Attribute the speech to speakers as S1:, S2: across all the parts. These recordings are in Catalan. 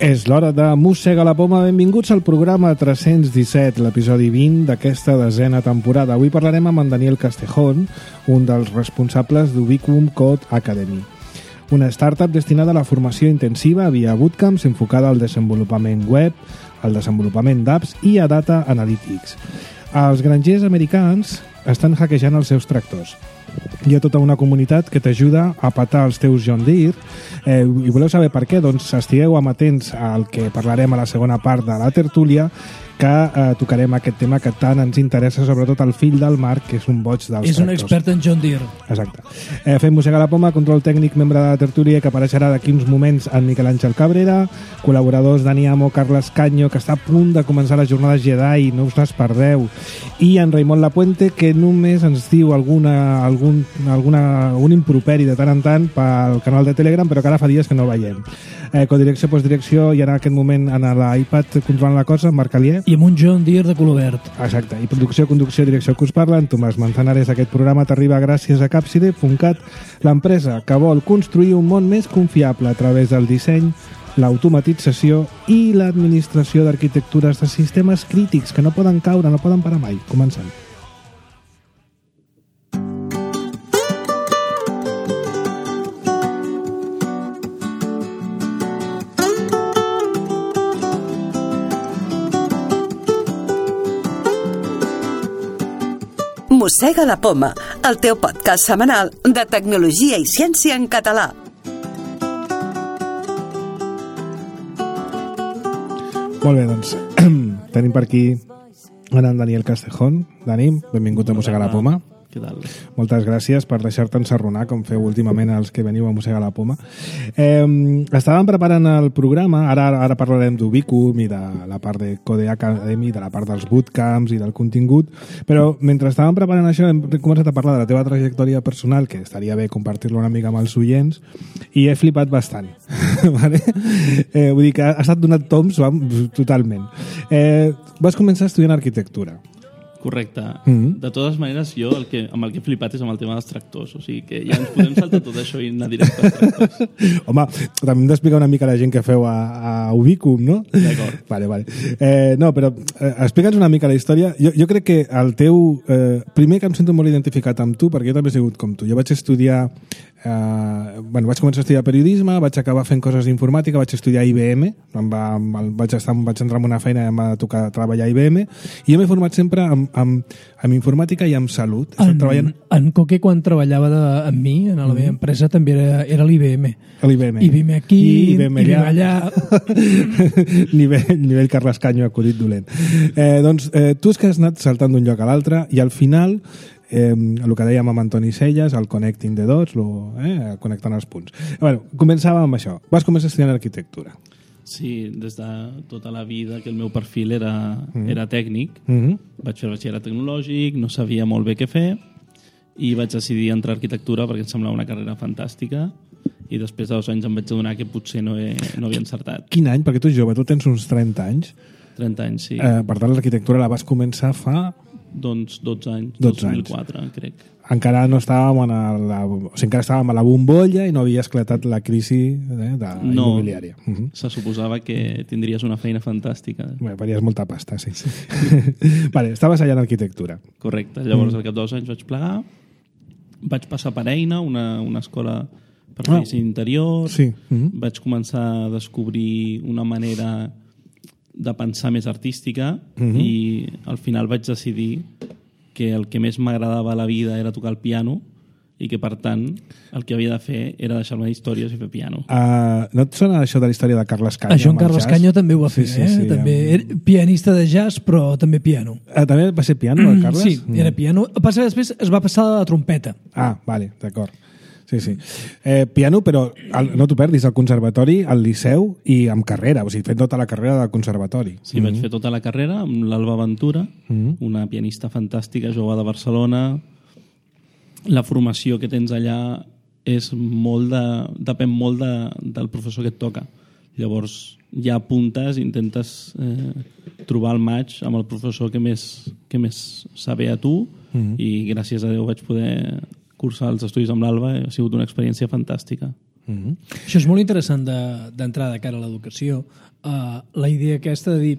S1: És l'hora de Mossega la Poma. Benvinguts al programa 317, l'episodi 20 d'aquesta desena temporada. Avui parlarem amb en Daniel Castejón, un dels responsables d'Ubicum Code Academy, una startup destinada a la formació intensiva via bootcamps enfocada al desenvolupament web, al desenvolupament d'apps i a data analytics. Els grangers americans estan hackejant els seus tractors. Hi ha tota una comunitat que t'ajuda a patar els teus John Deere i voleu saber per què? Doncs estigueu amatents al que parlarem a la segona part de la tertúlia, que tocarem aquest tema que tant ens interessa, sobretot el fill del Marc, que és un boig dels tractors.
S2: És un expert en John Deere.
S1: Exacte. Fem Mossega la Poma, control tècnic, membre de la tertúlia, que apareixerà d'aquí uns moments en Miquel Àngel Cabrera, col·laboradors Dani Amo, Carles Canyo, que està a punt de començar les jornades Jedi, no us les perdeu, i en Raimon Lapuente, que només ens diu un improperi de tant en tant pel canal de Telegram, però que ara fa dies que no el veiem. Codirecció, postdirecció, i en aquest moment en l'iPad controlant la cosa, Marc Alier.
S2: I amb un John Deere de color verd.
S1: Exacte. I producció, conducció, direcció que us parla, en Tomàs Manzanares. Aquest programa t'arriba gràcies a Capside.cat, l'empresa que vol construir un món més confiable a través del disseny, l'automatització i l'administració d'arquitectures de sistemes crítics que no poden caure, no poden parar mai. Comencem.
S3: Mossega la Poma, el teu podcast setmanal de tecnologia i ciència en català.
S1: Molt bé, doncs tenim per aquí en Daniel Castejón. Dani, benvingut a Mossega la Poma.
S4: Què tal?
S1: Moltes gràcies per deixar-te ensarronar, com feu últimament els que veniu a Mossega la Poma. Estàvem preparant el programa, ara parlarem d'Ubicum i de la part de Code Academy, de la part dels bootcamps i del contingut, però mentre estàvem preparant això hem començat a parlar de la teva trajectòria personal, que estaria bé compartir-lo una mica amb els oients, i he flipat bastant. Vale? Vull dir que ha estat donat toms totalment. Vas començar estudiant arquitectura.
S4: Correcte. De totes maneres, jo amb el que he flipat és amb el tema dels tractors. O sigui que ja ens podem saltar tot això i anar directe als tractors.
S1: Home, també hem d'explicar una mica a la gent que feu a Ubicum, no?
S4: D'acord.
S1: Vale. No, però explica'ns una mica la història. Jo crec que el teu... primer que em sento molt identificat amb tu, perquè jo també he sigut com tu. Jo vaig estudiar... vaig començar a estudiar periodisme, vaig acabar fent coses d'informàtica, vaig estudiar a IBM, vaig entrar en una feina i em va tocar treballar a IBM, i jo m'he format sempre amb informàtica i amb salut.
S2: En Coque, quan treballava amb mi, en la meva empresa, també era l'IBM.
S1: L'IBM.
S2: IBM aquí, IBM allà.
S1: nivell Carles Canyo, acudit dolent. Doncs tu és que has anat saltant d'un lloc a l'altre i al final... el que dèiem amb Antoni Selles, el connecting the dots, connectant els punts. Bueno, començàvem amb això. Vas començar estudiant arquitectura.
S4: Sí, des de tota la vida que el meu perfil era tècnic. Vaig fer batxillerat tecnològic, no sabia molt bé què fer i vaig decidir entrar a arquitectura perquè em semblava una carrera fantàstica i després de 2 anys em vaig adonar que potser no havia encertat.
S1: Quin any? Perquè tu ets jove, tu tens uns 30 anys.
S4: 30 anys, sí.
S1: Per tant, l'arquitectura la vas començar fa...
S4: Doncs 12 anys, 2004, crec.
S1: Encara no estàvem encara estàvem a la bombolla i no havia esclatat la crisi immobiliària.
S4: Se suposava que tindries una feina fantàstica.
S1: Bé, faries molta pasta, sí. Vale, estaves allà en arquitectura.
S4: Correcte. Llavors, al cap de 2 anys vaig plegar, vaig passar per Eina, una escola per fer disseny interior.
S1: Sí.
S4: Vaig començar a descobrir una manera de pensar més artística i al final vaig decidir que el que més m'agradava a la vida era tocar el piano i que, per tant, el que havia de fer era deixar-me històries i fer piano.
S1: No et sona això de la història de Carles Canyo?
S2: Això en Carles Canyo també ho va fer, sí, també era pianista de jazz, però també piano.
S1: També va ser piano, el Carles?
S2: Sí, era piano. Passa que després es va passar a la trompeta.
S1: Ah, vale, d'acord. Sí. Piano, però no t'ho perdis, al conservatori, al Liceu i amb carrera, o sigui, fent tota la carrera del conservatori.
S4: Sí, vaig fer tota la carrera amb l'Alba Ventura, una pianista fantàstica, jove de Barcelona. La formació que tens allà depèn molt del professor que et toca. Llavors, ja apuntes i intentes trobar el match amb el professor que més sabe a tu i gràcies a Déu vaig poder cursar els estudis amb l'Alba, ha sigut una experiència fantàstica.
S2: Això és molt interessant d'entrar de cara a l'educació. La idea aquesta de dir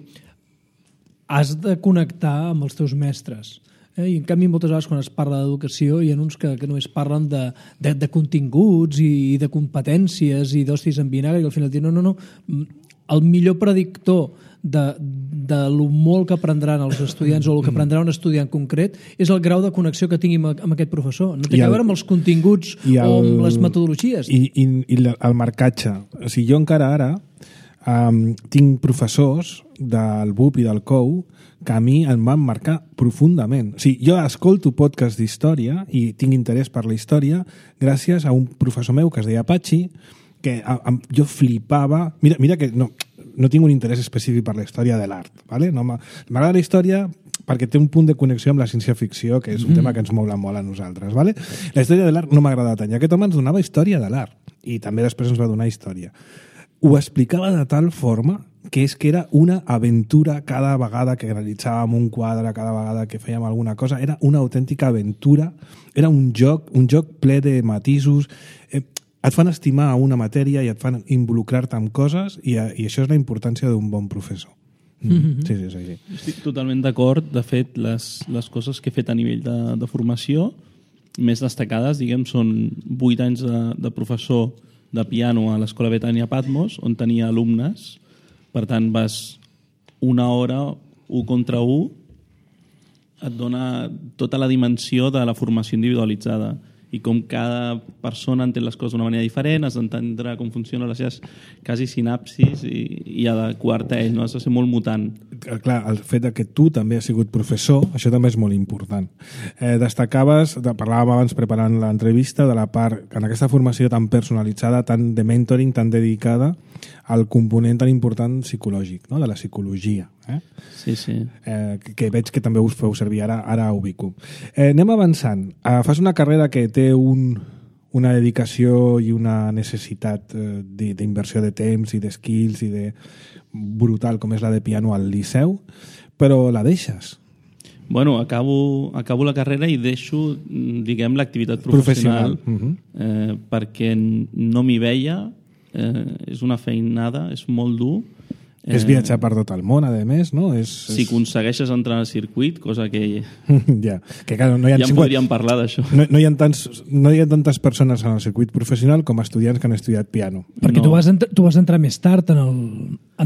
S2: has de connectar amb els teus mestres. I en canvi moltes vegades quan es parla d'educació hi ha uns que només parlen de continguts i de competències i d'hòsties en vinagre i al final diuen no, el millor predictor de lo molt que aprendran els estudiants o el que aprendrà un estudiant concret és el grau de connexió que tingui amb aquest professor. No té a veure amb els continguts o amb les metodologies.
S1: I el marcatge. O sigui, jo encara ara tinc professors del BUP i del COU que a mi em van marcar profundament. O sigui, jo escolto podcast d'història i tinc interès per la història gràcies a un professor meu que es deia Patxi, que jo flipava... Mira que no tinc un interès específic per la història de l'art, ¿vale? M'agrada la història perquè té un punt de connexió amb la ciència-ficció, que és un tema que ens mola molt a nosaltres, ¿vale? La història de l'art no m'agrada tant. I aquest home ens donava història de l'art i també després ens va donar història. Ho explicava de tal forma que era una aventura cada vegada que realitzàvem un quadre, cada vegada que fèiem alguna cosa, era una autèntica aventura, era un joc ple de matisos, et fan estimar una matèria i et fan involucrar-te en coses i això és la importància d'un bon professor. Sí.
S4: Estic totalment d'acord. De fet, les coses que he fet a nivell de formació més destacades, diguem, són 8 anys de professor de piano a l'Escola Betània Patmos, on tenia alumnes. Per tant, vas una hora, 1 contra 1, et dona tota la dimensió de la formació individualitzada i com cada persona entén les coses d'una manera diferent, has d'entendre com funcionen les seves quasi sinapsis i adequar-te a ell, no? Has de ser molt mutant.
S1: Clar, el fet que tu també has sigut professor, això també és molt important. Destacaves, parlàvem abans preparant l'entrevista, de la part, en aquesta formació tan personalitzada, tan de mentoring, tan dedicada al component tan important psicològic, no? De la psicologia.
S4: Sí.
S1: Que veig que també us feu servir, ara ubico. Anem avançant. Fas una carrera que té una dedicació i una necessitat d'inversió de temps i de skills i de brutal com és la de piano al Liceu, però la deixes.
S4: Bueno, acabo la carrera i deixo, diguem, l'activitat professional. Perquè no m'hi veia, és una feinada, és molt dur.
S1: És viatjar per tot el món, a més, no?
S4: Si aconsegueixes entrar al circuit, cosa que...
S1: ja, que clar, no hi ha
S4: ja en podríem parlar d'això.
S1: No hi ha tantes persones en el circuit professional com estudiants que han estudiat piano.
S2: Perquè tu vas entrar més tard en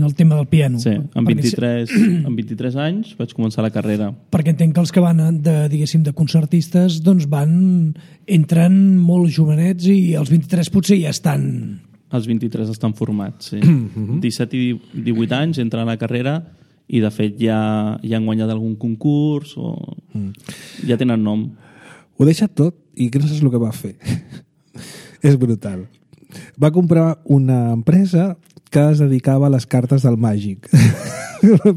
S2: el tema del piano.
S4: Sí, amb 23 anys vaig començar la carrera.
S2: Perquè entenc que els que van de concertistes doncs entren molt jovenets i als 23 potser ja estan...
S4: Els 23 estan formats, sí. 17 i 18 anys entren a la carrera i, de fet, ja han guanyat algun concurs o ja tenen nom.
S1: Ho ha deixat tot i que no saps el que va fer. És brutal. Va comprar una empresa que es dedicava a les cartes del màgic.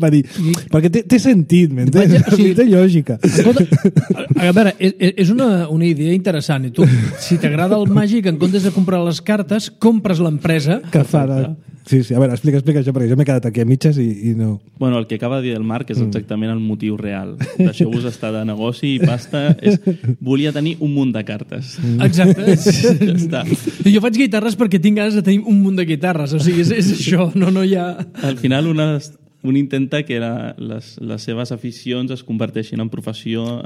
S1: Va dir, perquè té sentit, m'entens? Té lògica.
S2: A veure, és una idea interessant. I tu, si t'agrada el màgic, en comptes de comprar les cartes, compres l'empresa.
S1: Que fa de... Sí, a veure, explica això, perquè jo m'he quedat aquí a mitges i no...
S4: Bueno, el que acaba de dir el Marc és exactament el motiu real. Deixeu-vos estar de negoci i pasta. Volia tenir un munt de cartes.
S2: Exacte.
S4: Ja està.
S2: Jo faig guitarres perquè tinc ganes de tenir un munt de guitarres. O sigui, és això, no hi ha...
S4: Al final, un intenta que les seves aficions es converteixin en professió,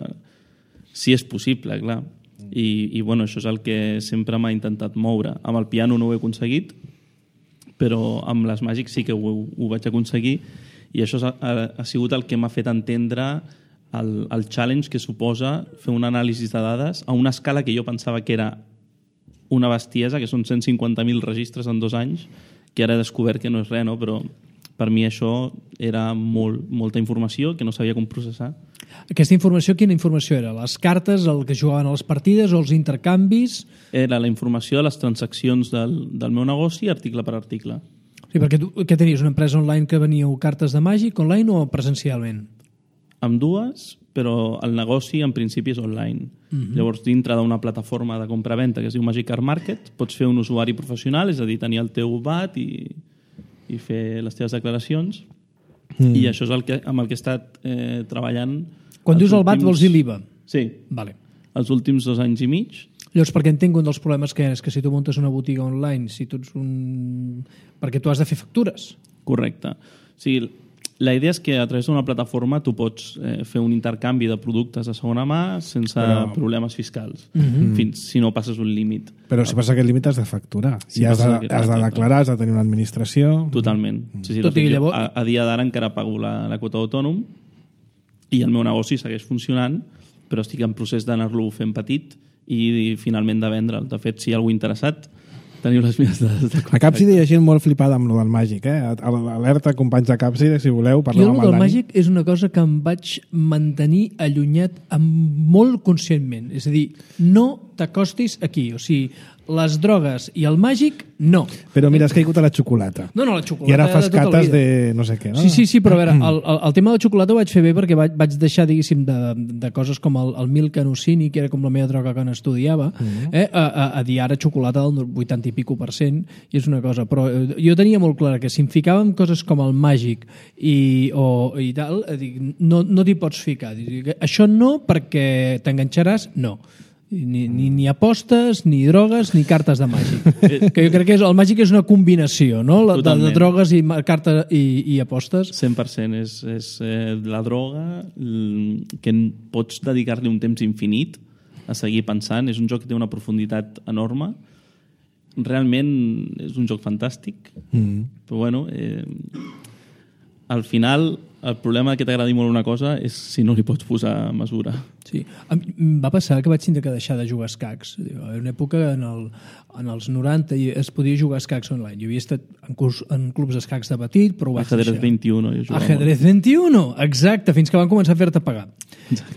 S4: si és possible, clar. I bueno, això és el que sempre m'ha intentat moure. Amb el piano no ho he aconseguit, però amb les màgics sí que ho vaig aconseguir, i això ha sigut el que m'ha fet entendre el challenge que suposa fer un anàlisi de dades a una escala que jo pensava que era una bestiesa, que són 150.000 registres en 2 anys, que ara he descobert que no és res, no? Però per mi això era molta informació que no sabia com processar.
S2: Aquesta informació, quina informació era? Les cartes, el que jugaven a les partides o els intercanvis?
S4: Era la informació de les transaccions del meu negoci, article per article.
S2: Sí, perquè tu què tenies? Una empresa online que veníeu cartes de màgic online o presencialment?
S4: Amb dues, però el negoci en principi és online. Llavors, dintre d'una plataforma de compra-venta que es diu Magic Card Market, pots fer un usuari professional, és a dir, tenir el teu VAT i fer les teves declaracions, i això és amb el que he estat treballant.
S2: Quan dius el VAT vols dir l'IVA?
S4: Sí.
S2: Vale.
S4: Els últims 2 anys i mig.
S2: Llavors, perquè entenc un dels problemes que és que si tu muntes una botiga online, si tu ets perquè tu has de fer factures.
S4: Correcte. O sigui, la idea és que a través d'una plataforma tu pots fer un intercanvi de productes de segona mà sense problemes fiscals, fins si no passes un límit.
S1: Però si passa aquest límit has de facturar. I has de declarar, has de tenir una administració...
S4: Totalment. Sí, de fet, jo a dia d'ara encara pago la quota d'autònom i el meu negoci segueix funcionant, però estic en procés d'anar-lo fent petit i finalment de vendre'l. De fet, si hi ha algú interessat, teniu les meves dades de contacte.
S1: A Capside hi ha gent molt flipada amb lo del màgic, Alerta, companys de Capside, si voleu, parlem amb el Dani.
S2: Jo el màgic és una cosa que em vaig mantenir allunyat molt conscientment. És a dir, no t'acostis aquí. O sigui, les drogues i el màgic, no.
S1: Però mira, has caigut a la xocolata.
S2: No, la xocolata.
S1: I ara fas
S2: tota
S1: cates de no sé què, no?
S2: Sí, però a veure, el tema de la xocolata ho vaig fer bé perquè vaig deixar, diguéssim, de coses com el Milk Anusini, que era com la meva droga quan estudiava, a dir ara xocolata del 80 i pico %, i és una cosa. Però jo tenia molt clar que si em ficava en coses com el màgic i tal, no t'hi pots ficar. Això no, perquè t'enganxaràs, no. Ni apostes, ni drogues, ni cartes de màgic. Que jo crec que el màgic és una combinació, no? De drogues i apostes.
S4: 100% és la droga que pots dedicar-li un temps infinit a seguir pensant. És un joc que té una profunditat enorme. Realment és un joc fantàstic. Però bueno, al final el problema que t'agradi molt una cosa és si no li pots posar mesura.
S2: Sí. Em va passar que vaig tindre que deixar de jugar a escacs. Hi ha una època en els 90 es podia jugar a escacs online. Jo havia estat en clubs d'escacs de petit, però ho vaig
S4: deixar. Ajedrez 21.
S2: Ajedrez 21, exacte, fins que van començar a fer-te pagar.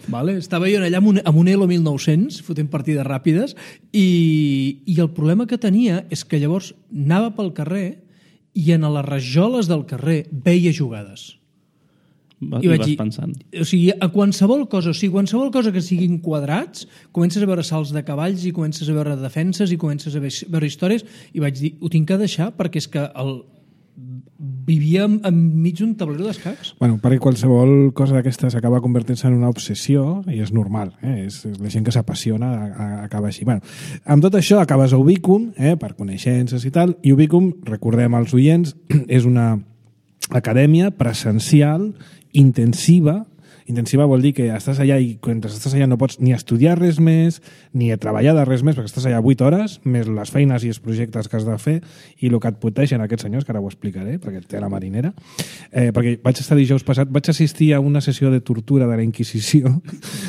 S2: Vale? Estava jo allà amb un Elo 1900, fotent partides ràpides, i el problema que tenia és que llavors anava pel carrer i en les rajoles del carrer veia jugades.
S4: I vas pensant.
S2: O sigui, a qualsevol cosa que siguin quadrats, comences a veure salts de cavalls i comences a veure defenses i comences a veure històries, i vaig dir, ho tinc que deixar perquè és que vivia enmig d'un tablero d'escacs.
S1: Bueno, perquè qualsevol cosa d'aquestes acaba convertint-se en una obsessió i és normal, és la gent que s'apassiona acaba així. Bueno, amb tot això acabes a Ubicum, per coneixences i tal, i Ubicum, recordem als oients, és una acadèmia presencial intensiva vol dir que estàs allà i quan estàs allà no pots ni estudiar res més, ni treballar de res més, perquè estàs allà 8 hores, més les feines i els projectes que has de fer i el que et poteixen aquests senyors, que ara ho explicaré, perquè té la marinera. Perquè vaig estar dijous passat, vaig assistir a una sessió de tortura de la Inquisició,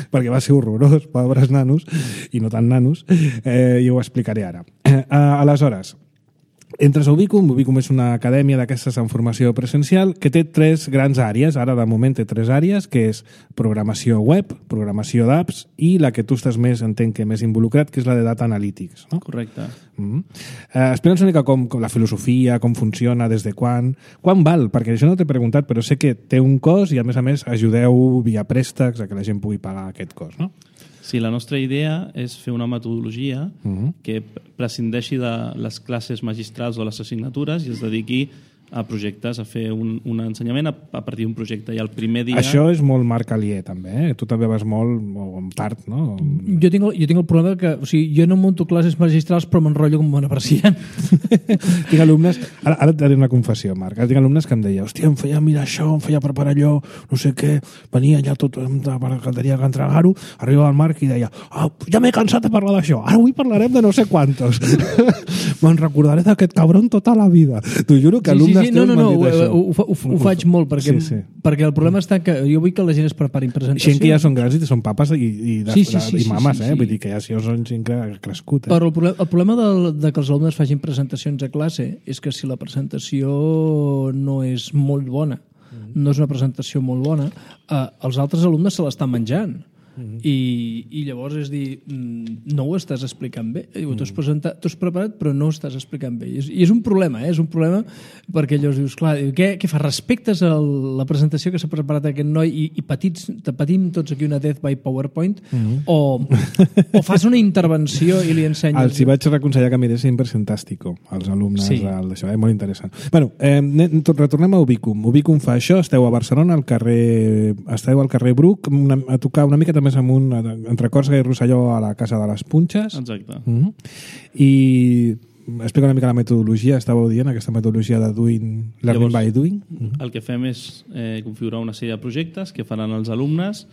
S1: perquè va ser horrorós, pobres nanos, i no tan nanos, i ho explicaré ara. Aleshores, entres a Ubicum. Ubicum és una acadèmia d'aquestes en formació presencial que té 3 grans àrees. Ara, de moment, té 3 àrees, que és programació web, programació d'apps i la que tu estàs entenc que més involucrat, que és la de data analytics. No?
S4: Correcte.
S1: Explica'ns una mica com la filosofia, com funciona, des de quan val, perquè això no t'he preguntat, però sé que té un cost i, a més, ajudeu via préstecs a que la gent pugui pagar aquest cost, no?
S4: Sí, la nostra idea és fer una metodologia que prescindeixi de les classes magistrals o les assignatures i es dediqui a projectes, a fer un ensenyament a partir d'un projecte. I el primer dia...
S1: Això és molt Marc Alier, també. Tu també vas molt en part, no?
S2: Jo tinc el problema que... O sigui, jo no monto classes magistrals, però m'enrotllo com un apreciant.
S1: Tinc alumnes... Ara et daré una confessió, Marc. Ara tinc alumnes que em deia, hòstia, em feia mirar això, em feia preparar allò, no sé què, venia allà tot per tenia que entregar-ho, arribava el Marc i deia, ja m'he cansat de parlar d'això, ara avui parlarem de no sé quantos. Me'n recordaré d'aquest cabron tota la vida. T'ho juro que alumnes
S2: ho faig molt perquè el problema està que jo vull que la gent es preparin presentacions.
S1: Gent que ja són grans i són papes i mames, vull dir que ja si són gent que ha crescut.
S2: Però el problema de que els alumnes facin presentacions a classe és que si la presentació no és molt bona, no és una presentació molt bona, els altres alumnes se l'estan menjant. I llavors és dir, no ho estàs explicant bé. T'ho has preparat però no ho estàs explicant bé, i és un problema, és un problema perquè llavors dius, clar, què fas? Respectes la presentació que s'ha preparat aquest noi i patim tots aquí una death by PowerPoint o fas una intervenció i li ensenyes...
S1: Els hi vaig aconsellar que miressin Presentàstico als alumnes d'això, molt interessant. Bueno, retornem a Ubicum. Ubicum fa això, esteu a Barcelona, esteu al carrer Bruc, a tocar una mica també més amunt, entre Còrsega i Rosselló, a la Casa de les Punxes.
S4: Exacte.
S1: I explica una mica la metodologia, estàveu dient, aquesta metodologia de learning by doing.
S4: El que fem és configurar una sèrie de projectes que faran els alumnes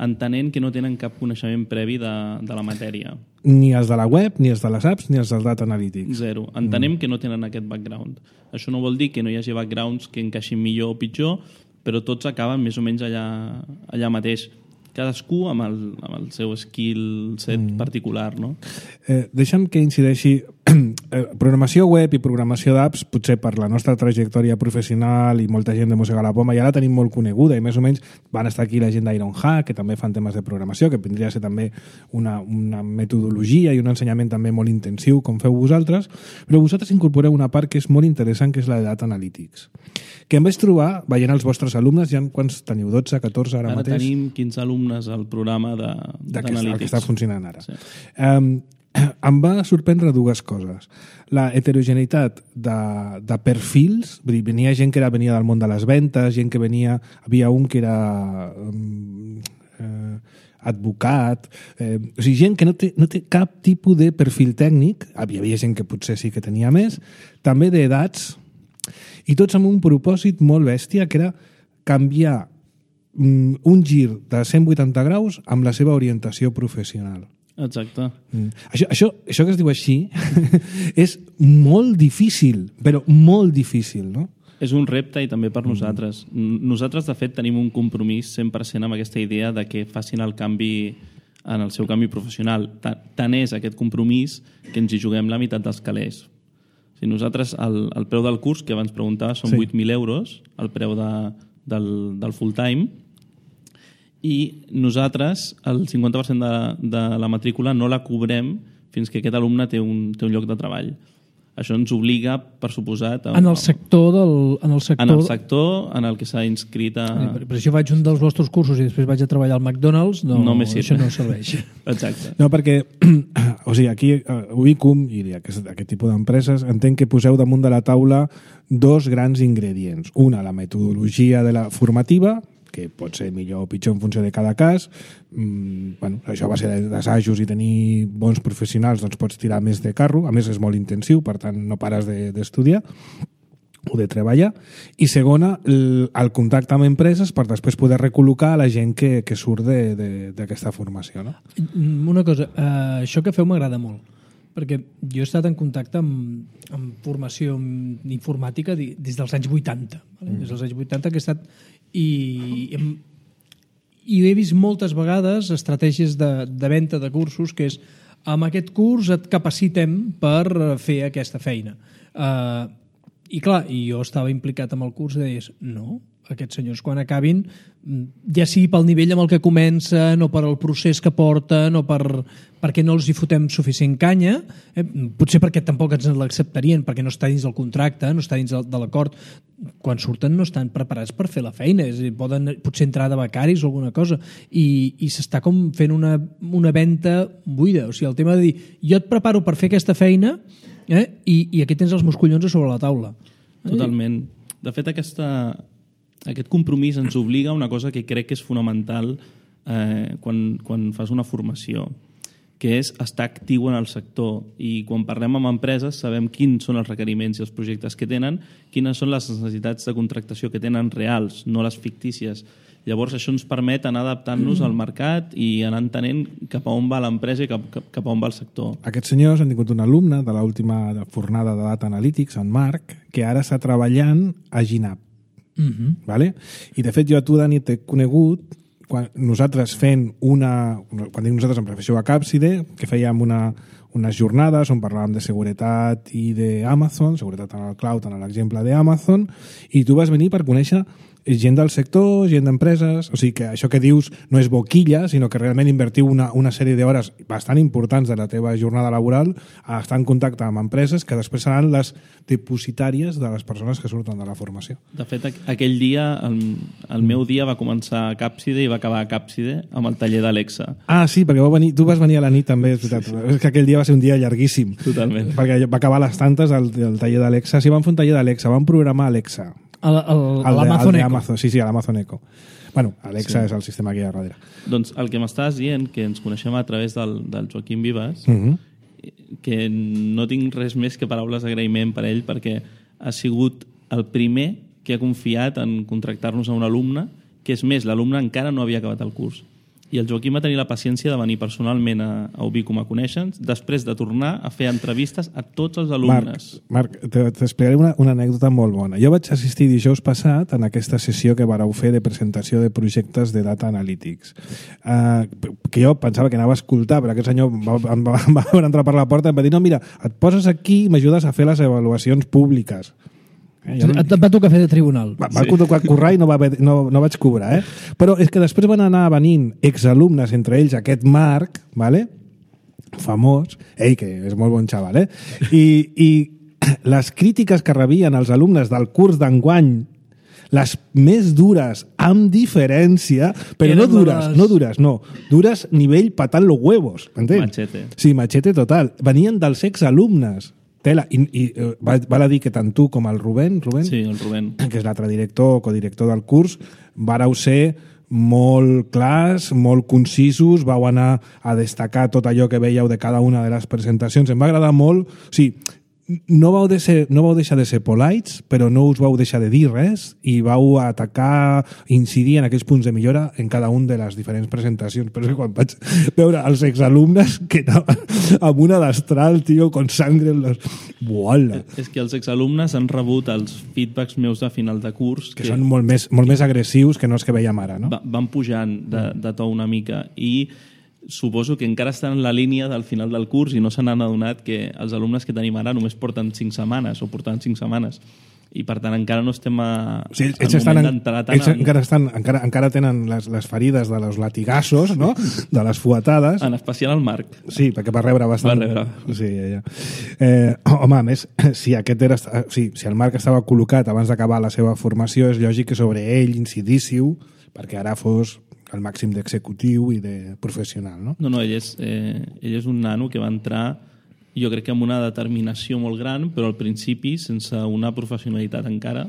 S4: entenent que no tenen cap coneixement previ de la matèria.
S1: Ni els de la web, ni els de les apps, ni els dels data analytics.
S4: Zero. Entenem que no tenen aquest background. Això no vol dir que no hi hagi backgrounds que encaixin millor o pitjor, però tots acaben més o menys allà mateix. Cadascú amb el seu skill set particular, no?
S1: Deixa'm que incideixi. Programació web i programació d'apps, potser per la nostra trajectòria professional i molta gent de Mossega la Poma, ja la tenim molt coneguda i més o menys van estar aquí la gent d'Ironhack, que també fan temes de programació, que vindria a ser també una metodologia i un ensenyament també molt intensiu, com feu vosaltres, però vosaltres incorporeu una part que és molt interessant, que és la de Data Analytics, que em vaig trobar veient els vostres alumnes, ja quants teniu, 12, 14 ara mateix?
S4: Ara tenim 15 alumnes al programa d'Analítics.
S1: Que està funcionant ara. Sí.
S4: Em
S1: va sorprendre dues coses. La heterogeneïtat de perfils, vull dir, venia gent que venia del món de les ventes, gent que venia... Havia un que era advocat, o sigui, gent que no té cap tipus de perfil tècnic, havia gent que potser sí que tenia més, també d'edats, i tots amb un propòsit molt bèstia, que era canviar un gir de 180 graus amb la seva orientació professional.
S4: Exacte.
S1: Això que es diu així és molt difícil, però molt difícil, no?
S4: És un repte i també per nosaltres. Nosaltres, de fet, tenim un compromís 100% amb aquesta idea de que facin el canvi en el seu canvi professional. Tant és aquest compromís que ens hi juguem la meitat dels calés. O sigui, nosaltres, el preu del curs, que abans preguntava, són 8.000 euros, el preu del full-time, i nosaltres el 50% de la matrícula no la cobrem fins que aquest alumne té un lloc de treball. Això ens obliga, per suposat...
S2: En el sector
S4: en el que s'ha inscrit a...
S2: Però si jo faig un dels vostres cursos i després vaig a treballar al McDonald's, això no serveix.
S4: Exacte.
S1: No, perquè o sigui, aquí a Ubicum i aquest tipus d'empreses entenc que poseu damunt de la taula dos grans ingredients. Una, la metodologia de la formativa, que pot ser millor o pitjor en funció de cada cas. Això va ser d'assajos i tenir bons professionals, doncs pots tirar més de carro. A més, és molt intensiu, per tant, no pares d'estudiar o de treballar. I segona, el contacte amb empreses per després poder recol·locar la gent que surt d'aquesta formació. No?
S2: Una cosa, això que feu m'agrada molt, perquè jo he estat en contacte amb formació informàtica des dels anys 80. Des dels anys 80 que he estat... I he vist moltes vegades estratègies de venda de cursos que és amb aquest curs et capacitem per fer aquesta feina. I clar, jo estava implicat amb el curs i deies, no, aquests senyors quan acabin, ja sigui pel nivell amb el que comencen o per el procés que porten o perquè no els hi fotem suficient canya, potser perquè tampoc ens l'acceptarien, perquè no està dins del contracte, no està dins de l'acord, quan surten no estan preparats per fer la feina, poden potser entrar de becaris o alguna cosa, i s'està com fent una venda buida. O sigui, el tema de dir, jo et preparo per fer aquesta feina i aquí tens els meus collons a sobre la taula.
S4: Totalment. De fet, aquest compromís ens obliga a una cosa que crec que és fonamental quan fas una formació, que és estar actiu en el sector. I quan parlem amb empreses sabem quins són els requeriments i els projectes que tenen, quines són les necessitats de contractació que tenen reals, no les fictícies. Llavors això ens permet anar adaptant-nos al mercat i anar entenent cap a on va l'empresa i cap a on va el sector.
S1: Aquests senyors han tingut un alumne de l'última fornada de Data Analytics, en Marc, que ara està treballant a Ginap. Vale? I de fet jo a tu, Dani, t'he conegut quan nosaltres quan dic nosaltres em refereixo a Capside, que fèiem unes jornades on parlàvem de seguretat i d'Amazon, seguretat en el cloud, en l'exemple d'Amazon, i tu vas venir per conèixer gent del sector, gent d'empreses, o sigui que això que dius no és boquilla, sinó que realment invertiu una sèrie d'hores bastant importants de la teva jornada laboral a estar en contacte amb empreses que després seran les depositàries de les persones que surten de la formació.
S4: De fet, aquell dia, el meu dia va començar a Capside i va acabar a Capside amb el taller d'Alexa.
S1: Ah, sí, perquè tu vas venir a la nit també, és veritat. Sí. És que aquell dia va ser un dia llarguíssim.
S4: Totalment.
S1: Perquè va acabar a les tantes el taller d'Alexa. Sí, van fer un taller d'Alexa, van programar Alexa.
S2: A l'Amazon Echo.
S1: Sí, a l'Amazon Echo. Bueno, Alexa és el sistema que hi ha darrere.
S4: Doncs el que m'estàs dient, que ens coneixem a través del Joaquim Vives, que no tinc res més que paraules d'agraïment per ell, perquè ha sigut el primer que ha confiat en contractar-nos a un alumne, que és més, l'alumne encara no havia acabat el curs. I el Joaquim va tenir la paciència de venir personalment a Ubicum a conèixer-nos, després de tornar a fer entrevistes a tots els alumnes.
S1: Marc, t'explicaré una anècdota molt bona. Jo vaig assistir dijous passat en aquesta sessió que vareu fer de presentació de projectes de Data Analytics. Que jo pensava que anava a escoltar, però aquest senyor va entrar per la porta i em va dir, no, mira, et poses aquí i m'ajudes a fer les avaluacions públiques.
S2: Et va tocar fer de tribunal.
S1: Va tocar currar i no vaig cobrar, Però és que després van anar venint exalumnes, entre ells aquest Marc, ¿vale? Famós, que és molt bon xaval, I les crítiques que rebien els alumnes del curs d'enguany, les més dures, amb diferència, però dures nivell patant los huevos, m'entens?
S4: Machete.
S1: Sí, machete total. Venien dels exalumnes. Tela, i val a dir que tant tu com el Rubén,
S4: sí, el Rubén,
S1: que és l'altre director o codirector del curs, vareu ser molt clars, molt concisos, vau anar a destacar tot allò que veieu de cada una de les presentacions. Em va agradar molt. O sigui, no vau deixar de ser polites, però no us vau deixar de dir res i vau atacar, incidir en aquells punts de millora en cada un de les diferents presentacions. Però és que quan vaig veure els exalumnes que anaven amb una destral, tio, con sangre en los... Buala.
S4: És que els exalumnes han rebut els feedbacks meus de final de curs
S1: que són molt més agressius que no els que veiem ara, no?
S4: Van pujant de to una mica i suposo que encara estan en la línia del final del curs i no se n'han adonat que els alumnes que tenim ara només porten 5 setmanes o portaven 5 setmanes i per tant encara no estem al moment d'entrar tant
S1: encara tenen les ferides de los latigassos, no? De les fuetades.
S4: En especial el Marc.
S1: Sí, perquè va rebre bastant. Sí, ja. Home, a més, si el Marc estava col·locat abans d'acabar la seva formació, és lògic que sobre ell incidíssiu perquè ara fos el màxim d'executiu i de professional, no?
S4: No, ell és un nano que va entrar, jo crec que amb una determinació molt gran, però al principi sense una professionalitat encara,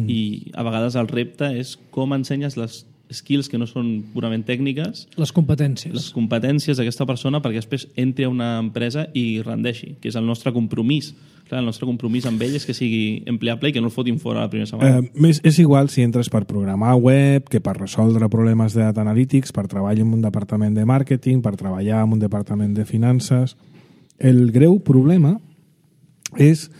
S4: i a vegades el repte és com ensenyes les skills que no són purament tècniques,
S2: les competències
S4: d'aquesta persona perquè després entri a una empresa i rendeixi, que és el nostre compromís. Clar, el nostre compromís amb ell és que sigui empleable i que no el fotin fora la primera setmana.
S1: És igual si entres per programar web, que per resoldre problemes de data analytics, per treballar en un departament de màrqueting, per treballar en un departament de finances. El greu problema és,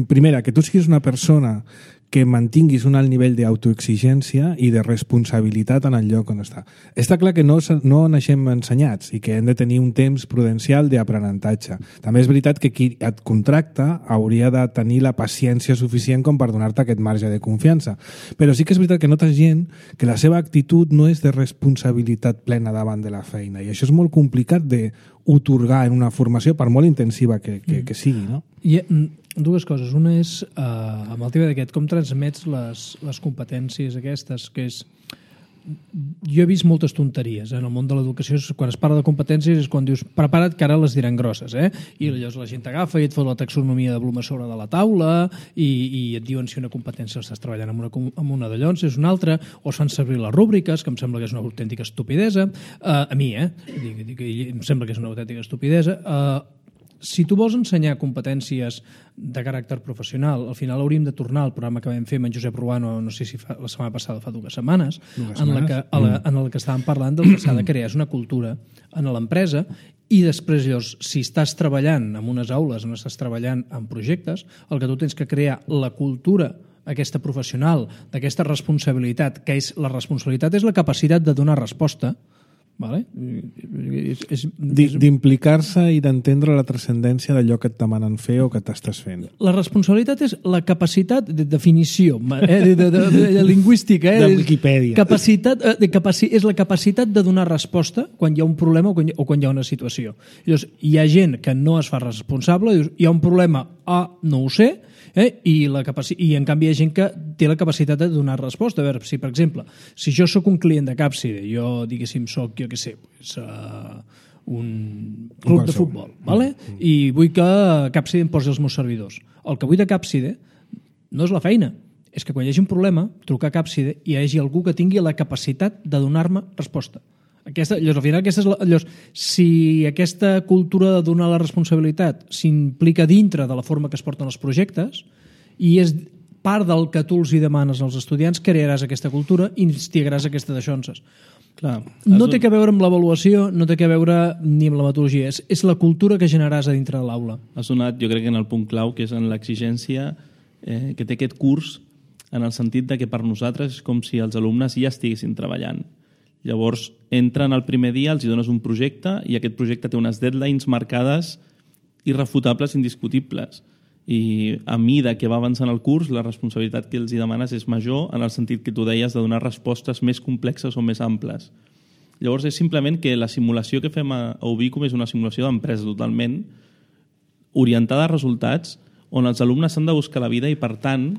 S1: primera, que tu siguis una persona que mantinguis un alt nivell d'autoexigència i de responsabilitat en el lloc on està. Està clar que no naixem ensenyats i que hem de tenir un temps prudencial d'aprenentatge. També és veritat que qui et contracta hauria de tenir la paciència suficient com per donar-te aquest marge de confiança. Però sí que és veritat que notes gent que la seva actitud no és de responsabilitat plena davant de la feina i això és molt complicat d'otorgar en una formació per molt intensiva que sigui, no?
S2: I dues coses. Una és, amb el tema d'aquest, com transmets les competències aquestes, que és... Jo he vist moltes tonteries en el món de l'educació. Quan es parla de competències és quan dius prepara't que ara les diran grosses, i llavors la gent t'agafa i et fot la taxonomia de Bloom a sobre de la taula i et diuen si una competència estàs treballant amb una d'allò, si és una altra, o es fan servir les rúbriques, que em sembla que és una autèntica estupidesa. A mi, em sembla que és una autèntica estupidesa. Si tu vols ensenyar competències de caràcter professional, al final hauríem de tornar al programa que vam fer amb en Josep Ruano, no sé si la setmana passada, fa 2 setmanes, en el que estàvem parlant del que s'ha de crear és una cultura en l'empresa i després, llavors, si estàs treballant en unes aules, no estàs treballant en projectes, el que tu tens que crear la cultura aquesta professional, d'aquesta responsabilitat, que és la responsabilitat és la capacitat de donar resposta, vale?
S1: D'implicar-se i d'entendre la transcendència d'allò que et demanen fer o que t'estàs fent.
S2: La responsabilitat és la capacitat de definició de lingüística,
S1: de Wikipedia.
S2: És la capacitat de donar resposta quan hi ha un problema o quan hi ha una situació. Llavors, hi ha gent que no es fa responsable, dius, hi ha un problema, no ho sé, i en canvi hi ha gent que té la capacitat de donar resposta. A veure, si per exemple, si jo sóc un client de Capside, jo diguéssim sóc, jo què sé, un club de futbol, vale? I vull que Capside em posi els meus servidors. El que vull de Capside no és la feina, és que quan hi hagi un problema, trucar a Càpside i hi hagi algú que tingui la capacitat de donar-me resposta. Llavors, al final, si aquesta cultura de donar la responsabilitat s'implica dintre de la forma que es porten els projectes i és part del que tu els hi demanes als estudiants, crearàs aquesta cultura i instigaràs aquesta daixonses.
S4: Clar,
S2: no té que veure amb l'avaluació, no té que veure ni amb la metodologia, és la cultura que generaràs a dintre de l'aula.
S4: Has donat, jo crec, en el punt clau, que és en l'exigència que té aquest curs, en el sentit de que per nosaltres és com si els alumnes ja estiguessin treballant. Llavors, entren el primer dia, els hi dones un projecte i aquest projecte té unes deadlines marcades irrefutables, indiscutibles. I a mida que va avançant el curs, la responsabilitat que els hi demanes és major en el sentit que tu deies de donar respostes més complexes o més amples. Llavors, és simplement que la simulació que fem a Ubicum és una simulació d'empresa totalment orientada a resultats on els alumnes s'han de buscar la vida i, per tant,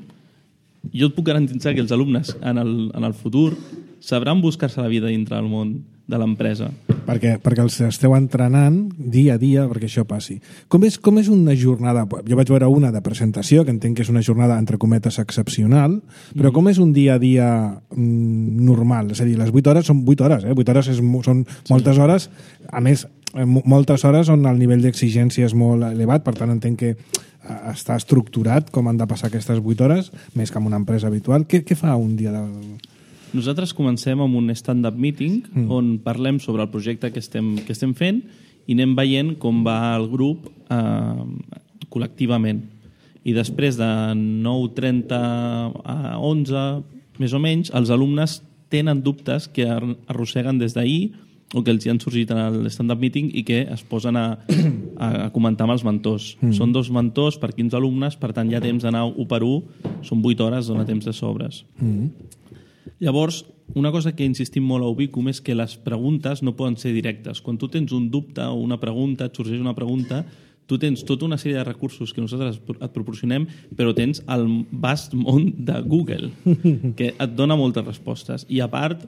S4: jo et puc garantir que els alumnes en el futur sabran buscar-se la vida dintre del món de l'empresa.
S1: Perquè els esteu entrenant dia a dia perquè això passi. Com és una jornada? Jo vaig veure una de presentació, que entenc que és una jornada, entre cometes, excepcional, però com és un dia a dia normal? És a dir, les 8 hores són 8 hores, 8 hores són moltes hores, a més, moltes hores on el nivell d'exigència és molt elevat, per tant entenc que està estructurat com han de passar aquestes 8 hores, més que en una empresa habitual. Què fa un dia de...
S4: Nosaltres comencem amb un stand-up meeting on parlem sobre el projecte que estem fent i anem veient com va el grup col·lectivament. I després de 9:30 a 11, més o menys, els alumnes tenen dubtes que arrosseguen des d'ahir o que els hi han sorgit en l'stand-up meeting i que es posen a comentar amb els mentors. Són 2 mentors per 15 alumnes, per tant hi ha temps d'anar 1 per 1, són 8 hores, dona temps de sobres. Llavors, una cosa que insistim molt a Ubicum és que les preguntes no poden ser directes. Quan tu tens un dubte o una pregunta, et sorgeix una pregunta, tu tens tota una sèrie de recursos que nosaltres et proporcionem, però tens el vast món de Google, que et dona moltes respostes. I a part,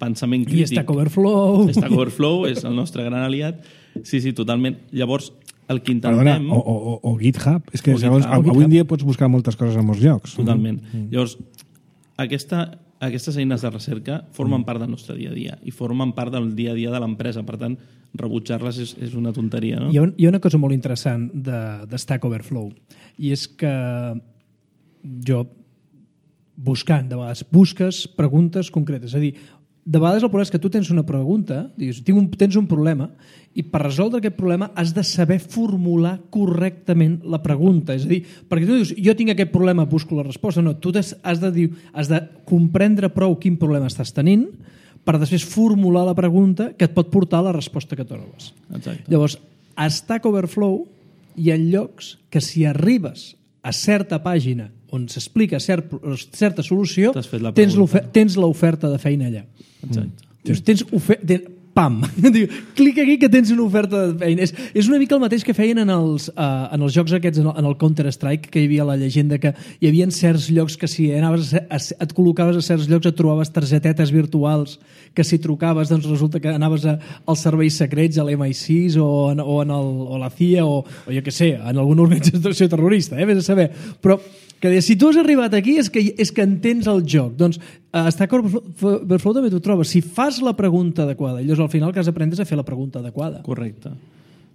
S4: pensament crític.
S2: I Stack Overflow.
S4: Stack Overflow és el nostre gran aliat. Sí, totalment. Llavors, el que intentem...
S1: Perdona, o GitHub. És que segons, avui en dia pots buscar moltes coses a molts llocs.
S4: Totalment. Llavors, aquestes eines de recerca formen part del nostre dia a dia i formen part del dia a dia de l'empresa. Per tant, rebutjar-les és una tonteria, no?
S2: Hi ha una cosa molt interessant de Stack Overflow, i és que jo, buscant, de vegades, busques preguntes concretes. És a dir, de vegades el problema és que tu tens una pregunta, tens un problema, i per resoldre aquest problema has de saber formular correctament la pregunta. És a dir, perquè tu dius, jo tinc aquest problema, busco la resposta. No, tu has de comprendre prou quin problema estàs tenint per després formular la pregunta que et pot portar a la resposta que trobes.
S4: Exacte.
S2: Llavors, a Stack Overflow hi ha llocs que si arribes a certa pàgina on s'explica certa solució, tens l'oferta de feina allà.
S4: Exacte.
S2: Pam! Diu, clica aquí que tens una oferta de feina. És una mica el mateix que feien en els jocs aquests, en el Counter-Strike, que hi havia la llegenda que hi havia certs llocs que si et col·locaves a certs llocs et trobaves targetetes virtuals que si trucaves doncs resulta que anaves als serveis secrets, a l'MI6 o a la CIA o jo què sé, en alguna organització terrorista, vés a saber. Però que si tu has arribat aquí és que entens el joc. Doncs a Stack Overflow també t'ho trobes. Si fas la pregunta adequada, llavors al final el que has d'aprendre és a fer la pregunta adequada.
S4: Correcte.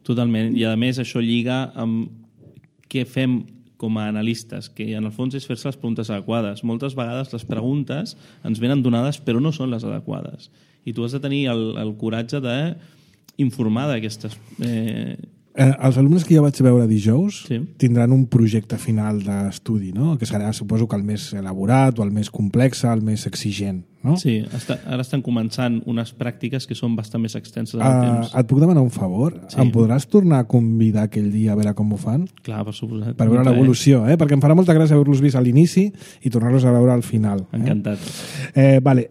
S4: Totalment. I a més això lliga amb què fem com a analistes, que en el fons és fer-se les preguntes adequades. Moltes vegades les preguntes ens venen donades però no són les adequades. I tu has de tenir el coratge d'informar d'aquestes...
S1: Els alumnes que jo vaig veure dijous tindran un projecte final d'estudi, no? Que serà, suposo, que el més elaborat o el més complex, el més exigent, no?
S4: Sí, ara estan començant unes pràctiques que són bastant més extenses en el temps.
S1: Et puc demanar un favor? Sí. Em podràs tornar a convidar aquell dia a veure com ho fan?
S4: Clar, per suposat.
S1: Per veure l'evolució, perquè em farà molta gràcia haver-los vist a l'inici i tornar-los a veure al final.
S4: Encantat.
S1: Vale.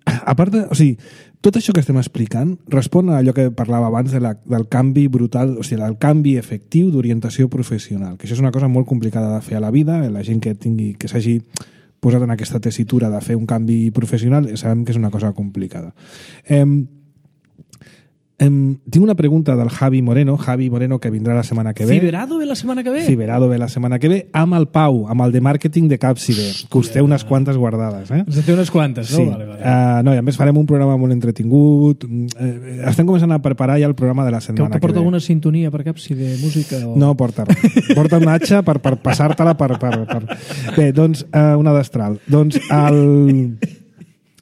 S1: A part de... O sigui, tot això que estem explicant respon a allò que parlava abans del canvi brutal, o sigui, del canvi efectiu d'orientació professional, que això és una cosa molt complicada de fer a la vida. La gent que s'hagi posat en aquesta tessitura de fer un canvi professional sabem que és una cosa complicada. Tinc una pregunta del Javi Moreno, que vindrà la setmana que ve.
S2: Ciberado ve la setmana que ve?
S1: Ciberado ve la setmana que ve, amb el Pau, amb el de màrqueting de Capciber, que us té unes quantes guardades.
S2: Us té unes quantes, no?
S1: Sí.
S2: Vale.
S1: No, i a més farem un programa molt entretingut. Estem començant a preparar ja el programa de la setmana que ve.
S2: Que porta alguna sintonia per Capciber, música? O...
S1: No porta res. Porta una atxa per passar-te-la per... Bé, doncs, una destral. Doncs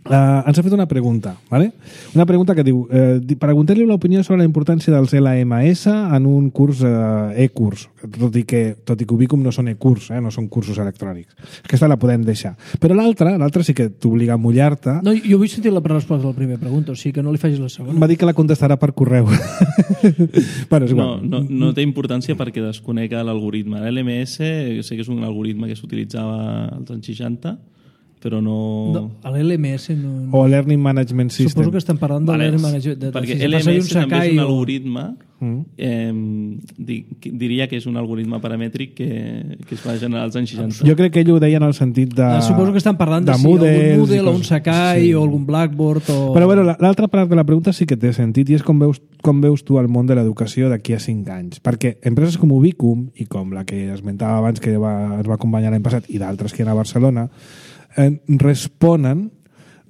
S1: ens ha fet una pregunta, ¿vale? Una pregunta que diu preguntar-li l'opinió sobre la importància dels LMS en un curs e-curs, tot i que Ubicum no són e-curs, no són cursos electrònics. Aquesta la podem deixar. Però l'altra sí que t'obliga a mullar-te.
S2: No, jo vull sentir la resposta a la primera pregunta, o sigui que no li facis la segona.
S1: Va dir que la contestarà per correu. Bueno, és igual.
S4: No té importància perquè desconega l'algoritme. L'LMS sé que és un algoritme que s'utilitzava als anys 60, però no
S2: l'LMS no...
S1: O Learning Management System.
S2: Suposo que estan parlant del Learning Management...
S4: Perquè LMS també és un algoritme, diria que és un algoritme paramètric que es va generar als anys 60.
S1: Jo crec que ell ho deia en el sentit de...
S2: Suposo que estan parlant de si algun Moodle o un Sakai o algun Blackboard o...
S1: Però bueno, l'altra part de la pregunta sí que té sentit i és com veus tu el món de l'educació d'aquí a 5 anys. Perquè empreses com Ubicum i com la que esmentava abans que es va acompanyar l'any passat i d'altres que hi ha a Barcelona responen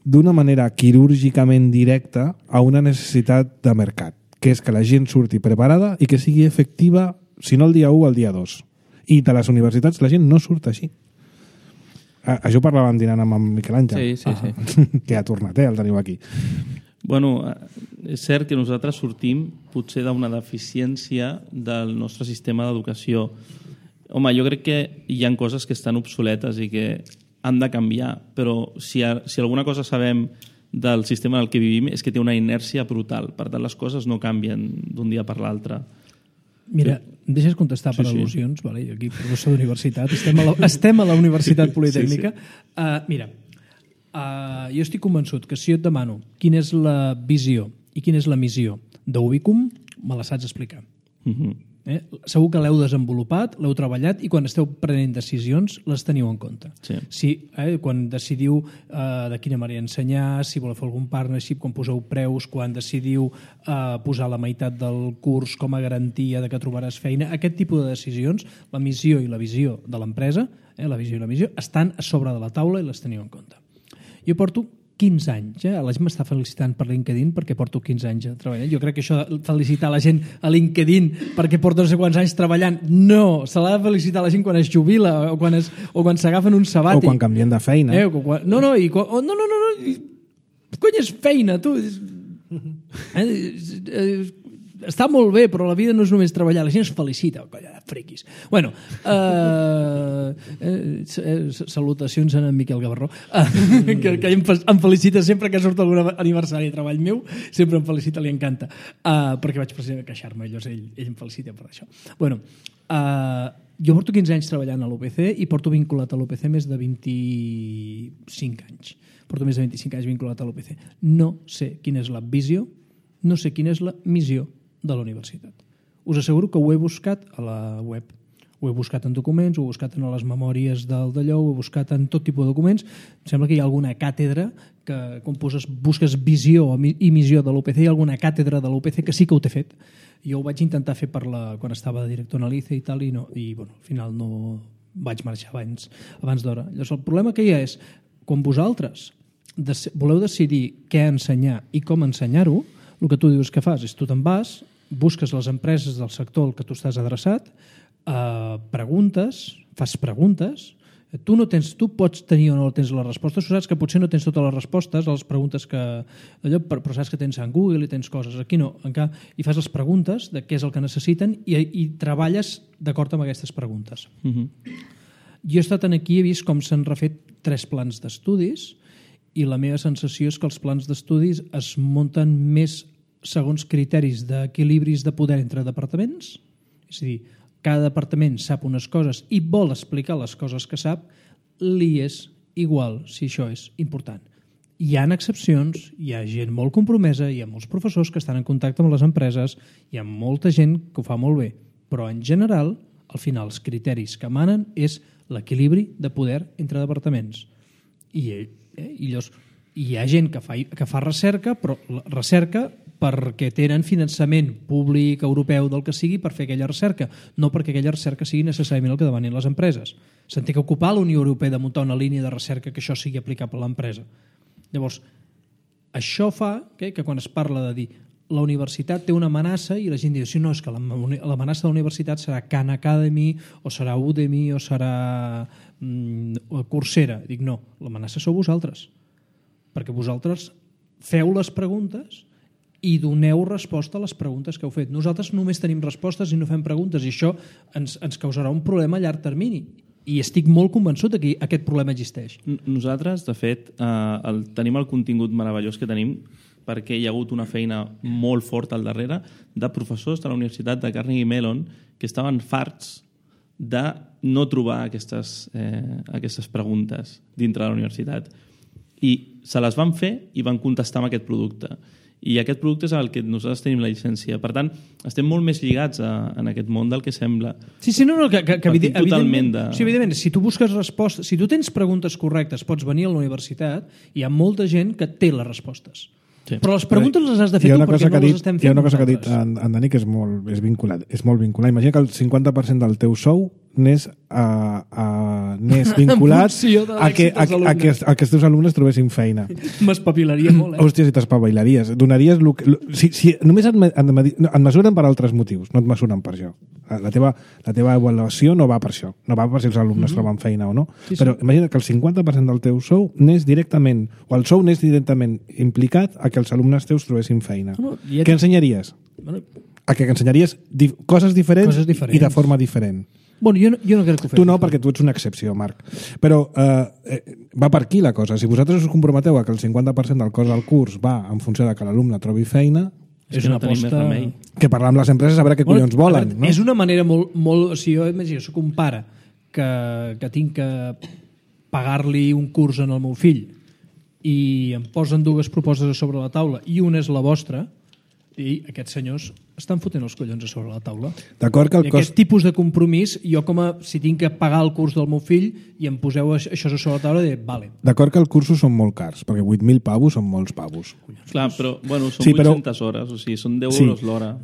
S1: d'una manera quirúrgicament directa a una necessitat de mercat, que és que la gent surti preparada i que sigui efectiva, si no el dia 1, el dia 2. I de les universitats la gent no surt així. Això ho parlàvem dinant amb en Miquel Àngel.
S2: Sí.
S1: Que ha tornat, el teniu aquí.
S4: Bueno, és cert que nosaltres sortim potser d'una deficiència del nostre sistema d'educació. Home, jo crec que hi ha coses que estan obsoletes i que han de canviar, però si alguna cosa sabem del sistema en el que vivim és que té una inèrcia brutal. Per tant, les coses no canvien d'un dia per l'altre.
S2: Mira, em deixes contestar per al·lusions, vale? Jo aquí, professor d'universitat, estem a la Universitat Politècnica. Mira, jo estic convençut que si jo et demano quina és la visió i quina és la missió d'Ubicum, me la saps explicar. Segur que l'heu desenvolupat, l'heu treballat i quan esteu prenent decisions les teniu en compte. Quan decidiu de quina manera ensenyar, si voleu fer algun partnership, quan poseu preus, quan decidiu posar la meitat del curs com a garantia de que trobaràs feina, aquest tipus de decisions, la missió i la visió de l'empresa, la visió i la missió, estan a sobre de la taula i les teniu en compte. Jo porto 15 anys, la gent m'està felicitant per LinkedIn perquè porto 15 anys treballant. Jo crec que això de felicitar la gent a LinkedIn perquè porta no sé quants anys treballant, no, se l'ha de felicitar la gent quan es jubila o quan s'agafen un sabàtic.
S1: O quan canvien de feina.
S2: No, cony, és feina, tu. Està molt bé, però la vida no és només treballar, la gent es felicita, colla de friquis. Bueno, salutacions a en Miquel Gavarró, que em felicita sempre que surt algun aniversari de treball meu, sempre em felicita, li encanta, perquè vaig precisament queixar-me, ell em felicita per això. Bueno, jo porto 15 anys treballant a l'UPC i porto vinculat a l'UPC més de 25 anys. Porto més de 25 anys vinculat a l'UPC. No sé quina és la visió, no sé quina és la missió de la universitat. Us asseguro que ho he buscat a la web. Ho he buscat en documents, ho he buscat en les memòries d'allò, ho he buscat en tot tipus de documents. Em sembla que hi ha alguna càtedra que, quan busques visió i missió de l'UPC, hi ha alguna càtedra de l'UPC que sí que ho té fet. Jo ho vaig intentar fer quan estava de director en l'ICE i tal, i al final no vaig marxar abans d'hora. Llavors, el problema que hi ha és, quan vosaltres voleu decidir què ensenyar i com ensenyar-ho, el que tu dius que fas és tu te'n vas, busques les empreses del sector al que tu estàs adreçat, fas preguntes, tu pots tenir o no tens les respostes, tu saps que potser no tens totes les respostes a les preguntes però saps que tens en Google i tens coses, aquí no, i fas les preguntes de què és el que necessiten i treballes d'acord amb aquestes preguntes. Jo he estat aquí i he vist com s'han refet 3 plans d'estudis i la meva sensació és que els plans d'estudis es munten més segons criteris d'equilibris de poder entre departaments, és a dir, cada departament sap unes coses i vol explicar les coses que sap, li és igual si això és important. Hi ha excepcions, hi ha gent molt compromesa, hi ha molts professors que estan en contacte amb les empreses, hi ha molta gent que ho fa molt bé, però en general, al final, els criteris que manen és l'equilibri de poder entre departaments. I hi ha gent que fa recerca, però la recerca perquè tenen finançament públic, europeu, del que sigui, per fer aquella recerca, no perquè aquella recerca sigui necessàriament el que demanin les empreses. Se'n té que ocupar la Unió Europea de muntar una línia de recerca que això sigui aplicable a l'empresa. Llavors, això fa que quan es parla de dir la universitat té una amenaça i la gent diu, sí, no, és que l'amenaça de la universitat serà Khan Academy o serà Udemy o serà Coursera. Dic, no, l'amenaça sou vosaltres, perquè vosaltres feu les preguntes i doneu resposta a les preguntes que heu fet. Nosaltres només tenim respostes i no fem preguntes, i això ens causarà un problema a llarg termini. I estic molt convençut que aquest problema existeix.
S4: Nosaltres, de fet, tenim el contingut meravellós que tenim perquè hi ha hagut una feina molt forta al darrere de professors de la Universitat de Carnegie Mellon que estaven farts de no trobar aquestes preguntes dintre de la universitat. I se les van fer i van contestar amb aquest producte. I aquest producte és el que nosaltres tenim la llicència. Per tant, estem molt més lligats en aquest món del que sembla.
S2: Sí, no, que
S4: totalment de...
S2: Sí, evidentment, si tu busques respostes, si tu tens preguntes correctes, pots venir a la universitat i hi ha molta gent que té les respostes. Sí. Però les preguntes les has de fer tu perquè no les estem fent.
S1: Hi ha una cosa que ha dit en Dani que és molt vinculat. Imagina que el 50% del teu sou n'és vinculat a que els teus alumnes trobessin feina.
S2: M'espavilaria molt,
S1: Hòstia, si t'espavilaries. Donaries... Si només et mesuren per altres motius, no et mesuren per això. La teva avaluació no va per això. No va per si els alumnes troben feina o no. Sí. Però imagina que el 50% del teu sou n'és directament, o el sou n'és directament implicat a que els alumnes teus trobessin feina. Què ensenyaries? A que ensenyaries coses diferents i de forma diferent.
S2: Bueno, jo no crec que ho fem.
S1: Tu no, perquè tu ets una excepció, Marc. Però va per aquí la cosa. Si vosaltres us comprometeu a que el 50% del cost del curs va en funció de que l'alumne trobi feina,
S2: és una aposta...
S1: Que parlar amb les empreses a veure què collons volen. No?
S2: És una manera molt... Si jo imagino, soc un pare que tinc que pagar-li un curs en el meu fill i em posen dues propostes a sobre la taula i una és la vostra, i aquests senyors estan fotent els collons a sobre la taula.
S1: D'acord que el
S2: cost... Aquest tipus de compromís, jo si tinc que pagar el curs del meu fill i em poseu això a sobre la taula, diré, vale.
S1: D'acord que els cursos són molt cars, perquè 8.000 pavos són molts pavos.
S4: Clar, però bueno, són 800 hores, o sigui, són 10 euros l'hora.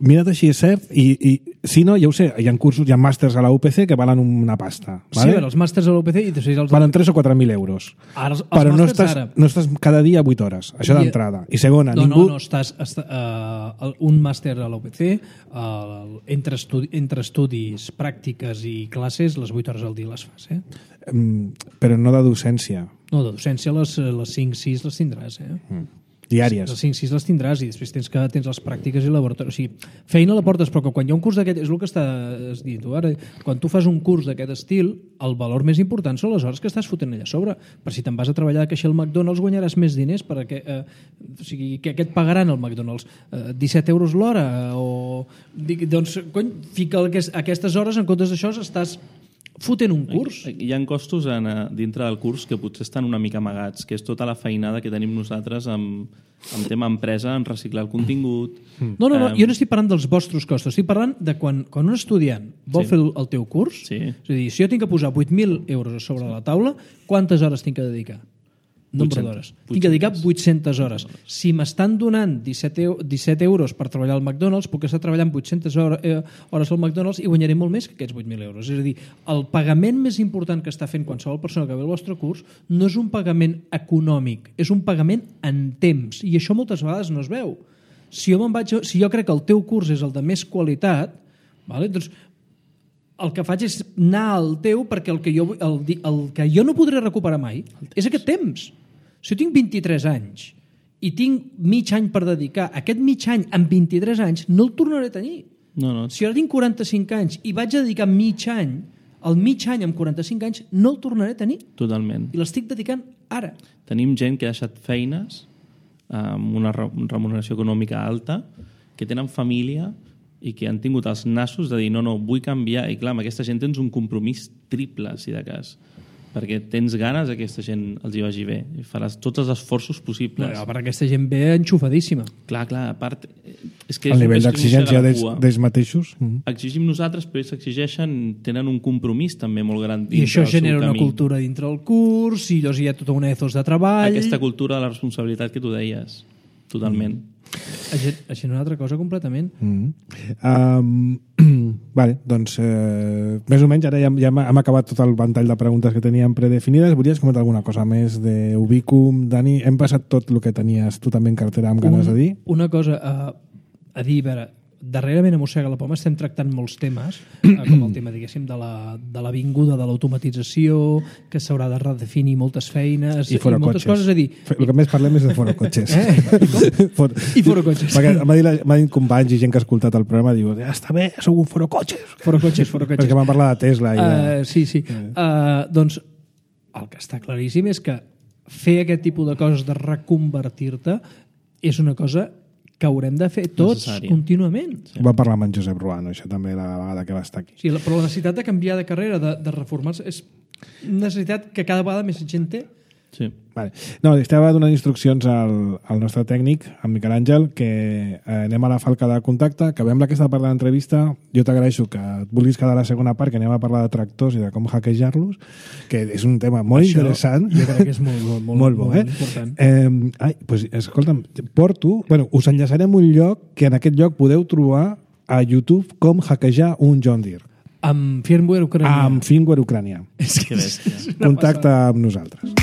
S1: Mira't així, és cert, i si no, ja ho sé, hi ha cursos, hi ha màsters a la UPC que valen una pasta.
S2: Sí, vale? Els màsters a la UPC...
S1: Valen 3 o 4.000 euros. Però no estàs cada dia 8 hores, això d'entrada. I segona,
S2: ningú... No, estàs un màster a la UPC, entre estudis, pràctiques i classes, les 8 hores al dia les fas,
S1: Però no de docència.
S2: No, de docència les 5-6 les tindràs,
S1: diàries.
S2: Les 5-6 les tindràs i després tens les pràctiques i laboratoris. O sigui, feina la portes, però que quan hi ha un curs d'aquest... És el que estàs dient tu ara. Quan tu fas un curs d'aquest estil, el valor més important són les hores que estàs fotent allà a sobre. Per si te'n vas a treballar de caixer al McDonald's guanyaràs més diners perquè, o sigui, què et pagaran al McDonald's? 17 euros l'hora? Doncs, cony, fica aquestes hores, en comptes d'això estàs fotent un curs.
S4: Hi ha costos dintre del curs que potser estan una mica amagats, que és tota la feinada que tenim nosaltres amb tema empresa, en reciclar el contingut...
S2: No, jo no estic parlant dels vostres costos, estic parlant de quan un estudiant vol fer el teu curs, és a dir, si jo tinc que posar 8.000 euros a sobre la taula, quantes hores tinc que dedicar? Nombre d'hores. Tinc que dedicar 800 hores. Si m'estan donant 17 euros per treballar al McDonald's, puc estar treballant 800 hores al McDonald's i guanyaré molt més que aquests 8.000 euros. És a dir, el pagament més important que està fent qualsevol persona que ve al vostre curs no és un pagament econòmic, és un pagament en temps. I això moltes vegades no es veu. Si jo crec que el teu curs és el de més qualitat, doncs el que faig és anar al teu perquè el que jo no podré recuperar mai és aquest temps. Si jo tinc 23 anys i tinc mig any per dedicar, aquest mig any amb 23 anys no el tornaré a tenir.
S4: No.
S2: Si ara tinc 45 anys i vaig a dedicar mig any, el mig any amb 45 anys no el tornaré a tenir.
S4: Totalment.
S2: I l'estic dedicant ara.
S4: Tenim gent que ha deixat feines amb una remuneració econòmica alta, que tenen família i que han tingut els nassos de dir no, vull canviar. I clar, amb aquesta gent tens un compromís triple, si de cas, perquè tens ganes que aquesta gent els hi vagi bé i faràs tots els esforços possibles.
S2: No, perquè aquesta gent ve enxufadíssima.
S4: Clar, a part... És que
S1: el nivell d'exigència d'ells mateixos.
S4: Exigim nosaltres, però ells exigeixen, tenen un compromís també molt gran
S2: i això genera una cultura dintre el curs i llavors hi ha tota una ethos de treball.
S4: Aquesta cultura de la responsabilitat que tu deies. totalment.
S2: Això és una altra cosa completament.
S1: Vale, doncs més o menys ara ja hem acabat tot el ventall de preguntes que teníem predefinides. Volies comentar alguna cosa més d'Ubicum? Dani, hem passat tot el que tenies tu també en cartera amb ganes de dir?
S2: Una cosa a dir, a veure, darrerament a Mossega la Poma estem tractant molts temes, com el tema, diguéssim, de l'avinguda de l'automatització, que s'haurà de redefinir moltes feines
S1: i
S2: moltes coses a dir.
S1: El que més parlem és de forocotxes.
S2: I forocotxes.
S1: Perquè m'ha dit companys i gent que ha escoltat el programa, diu, està bé, sou un forocotxes.
S2: Forocotxes.
S1: Perquè van parlar de Tesla.
S2: Sí. Doncs el que està claríssim és que fer aquest tipus de coses de reconvertir-te és una cosa que haurem de fer tots contínuament.
S1: Sí. Va parlar amb en Josep Ruano, això també la vegada que va estar aquí.
S2: Sí, però la necessitat de canviar de carrera, de reformar-se, és una necessitat que cada vegada més gent té.
S4: Sí.
S1: Vale. No, estava donant instruccions al nostre tècnic, en Miquel Àngel, que anem a la falca de contacte, que veiem aquesta part de l'entrevista. Jo t'agraeixo que et vulguis quedar a la segona part, que anem a parlar de tractors i de com hackejar-los, que és un tema molt interessant.
S2: Jo crec que és molt bo, important.
S1: Pues, escolta'm, us enllaçarem un lloc que en aquest lloc podeu trobar a YouTube com hackejar un John Deere.
S2: Amb firmware ucranià.
S1: Amb firmware ucranià. Contacta amb nosaltres.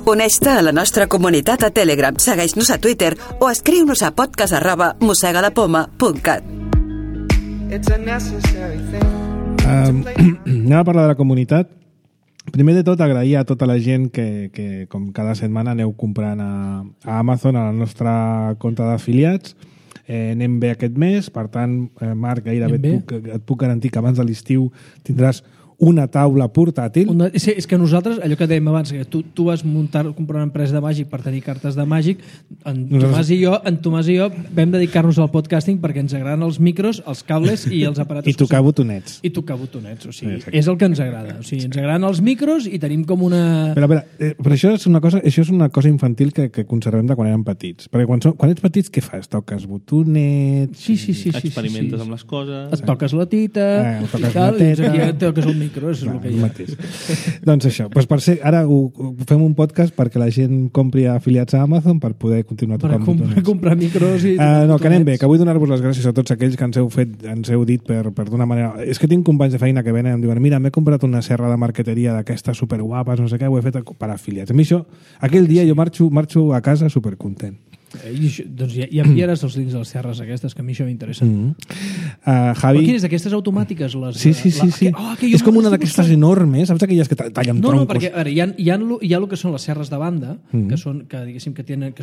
S3: Uneix-te a la nostra comunitat a Telegram, segueix-nos a Twitter o escriu-nos a podcast@mossegalapoma.cat.
S1: Anem a parlar de la comunitat. Primer de tot, agrair a tota la gent que com cada setmana aneu comprant a Amazon a la nostra compte d'afiliats. Anem bé aquest mes, per tant, Marc, gairebé et puc garantir que abans de l'estiu tindràs una taula portàtil.
S2: És que nosaltres, allò que dèiem abans, que tu vas comprar una empresa de màgic per tenir cartes de màgic, en Tomàs i jo vam dedicar-nos al podcasting perquè ens agraden els micros, els cables i els aparatos.
S1: I tocar botonets.
S2: O sigui, és el que ens agrada. O sigui, ens agraden els micros i tenim com una...
S1: Però això és una cosa infantil que conservem de quan érem petits. Perquè quan ets petits, què fas? Toques botonets...
S2: Sí.
S4: Experimentes amb les coses...
S2: Et toques la tita... toques el micro, és el que hi ha.
S1: Doncs això, per ser, ara fem un podcast perquè la gent compri afiliats a Amazon per poder continuar tocant botonets.
S2: Per comprar micros i...
S1: No, que anem bé, que vull donar-vos les gràcies a tots aquells que ens heu dit per d'una manera... És que tinc companys de feina que venen i em diuen mira, m'he comprat una serra de marqueteria d'aquestes superguapes, no sé què, ho he fet per afiliats. A mi això, aquell dia jo marxo a casa supercontent.
S2: Doncs ja enviaràs els links a les serres aquestes, que a mi això m'interessa.
S1: Javi...
S2: Quines d'aquestes automàtiques?
S1: Sí. És com una d'aquestes enormes, saps aquelles que tallen troncos?
S2: No, perquè hi ha el que són les serres de banda, que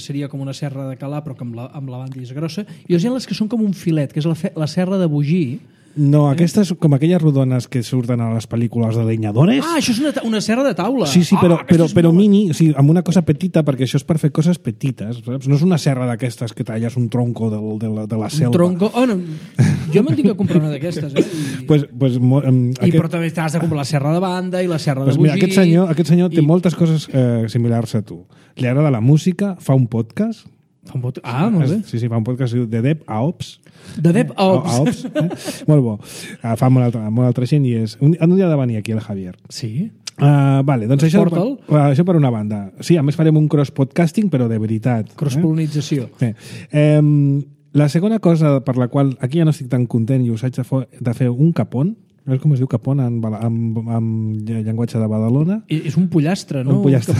S2: seria com una serra de calar, però que amb la banda és grossa, i hi ha les que són com un filet, que és la serra de bugir.
S1: No, aquestes com aquelles rodones que surten a les pel·lícules de leñadores.
S2: Això és una serra de taula.
S1: Sí, però mini, o sigui, amb una cosa petita, perquè això és per fer coses petites, saps? No és una serra d'aquestes que talles un tronco de la selva.
S2: Un tronco? No. Jo me'n tinc que comprar una d'aquestes, però també t'has de comprar la serra de banda i la serra de bugir.
S1: Mira, aquest senyor té moltes coses similars a tu. Li agrada la música, fa un podcast.
S2: Molt bé.
S1: Sí, fa un podcast de Dep a Ops.
S2: De Dep a Ops.
S1: Molt bo. Fa molt altra gent i és... Un dia ha de venir aquí el Javier.
S2: Sí?
S1: Vale, doncs això per una banda. Sí, a més farem un cross-podcasting, però de veritat.
S2: Cross-polonització.
S1: La segona cosa per la qual aquí ja no estic tan content i us haig de fer un capón, no és com es diu capón en llenguatge de Badalona?
S2: És un pollastre, no?
S1: Un pollastre.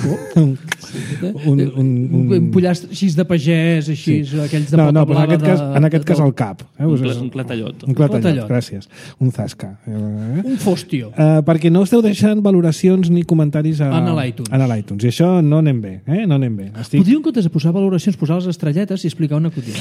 S2: Un pollastre així de pagès, així, aquells de
S1: pota blava. En aquest cas el cap.
S4: Un clatallot.
S1: Un clatallot, gràcies. Un zasca.
S2: Un fòstio.
S1: Perquè no esteu deixant valoracions ni comentaris
S2: en l'iTunes.
S1: En l'iTunes. I això no anem bé. No anem bé.
S2: Podríem, en comptes de posar valoracions, posar les estrelletes i explicar un acudit.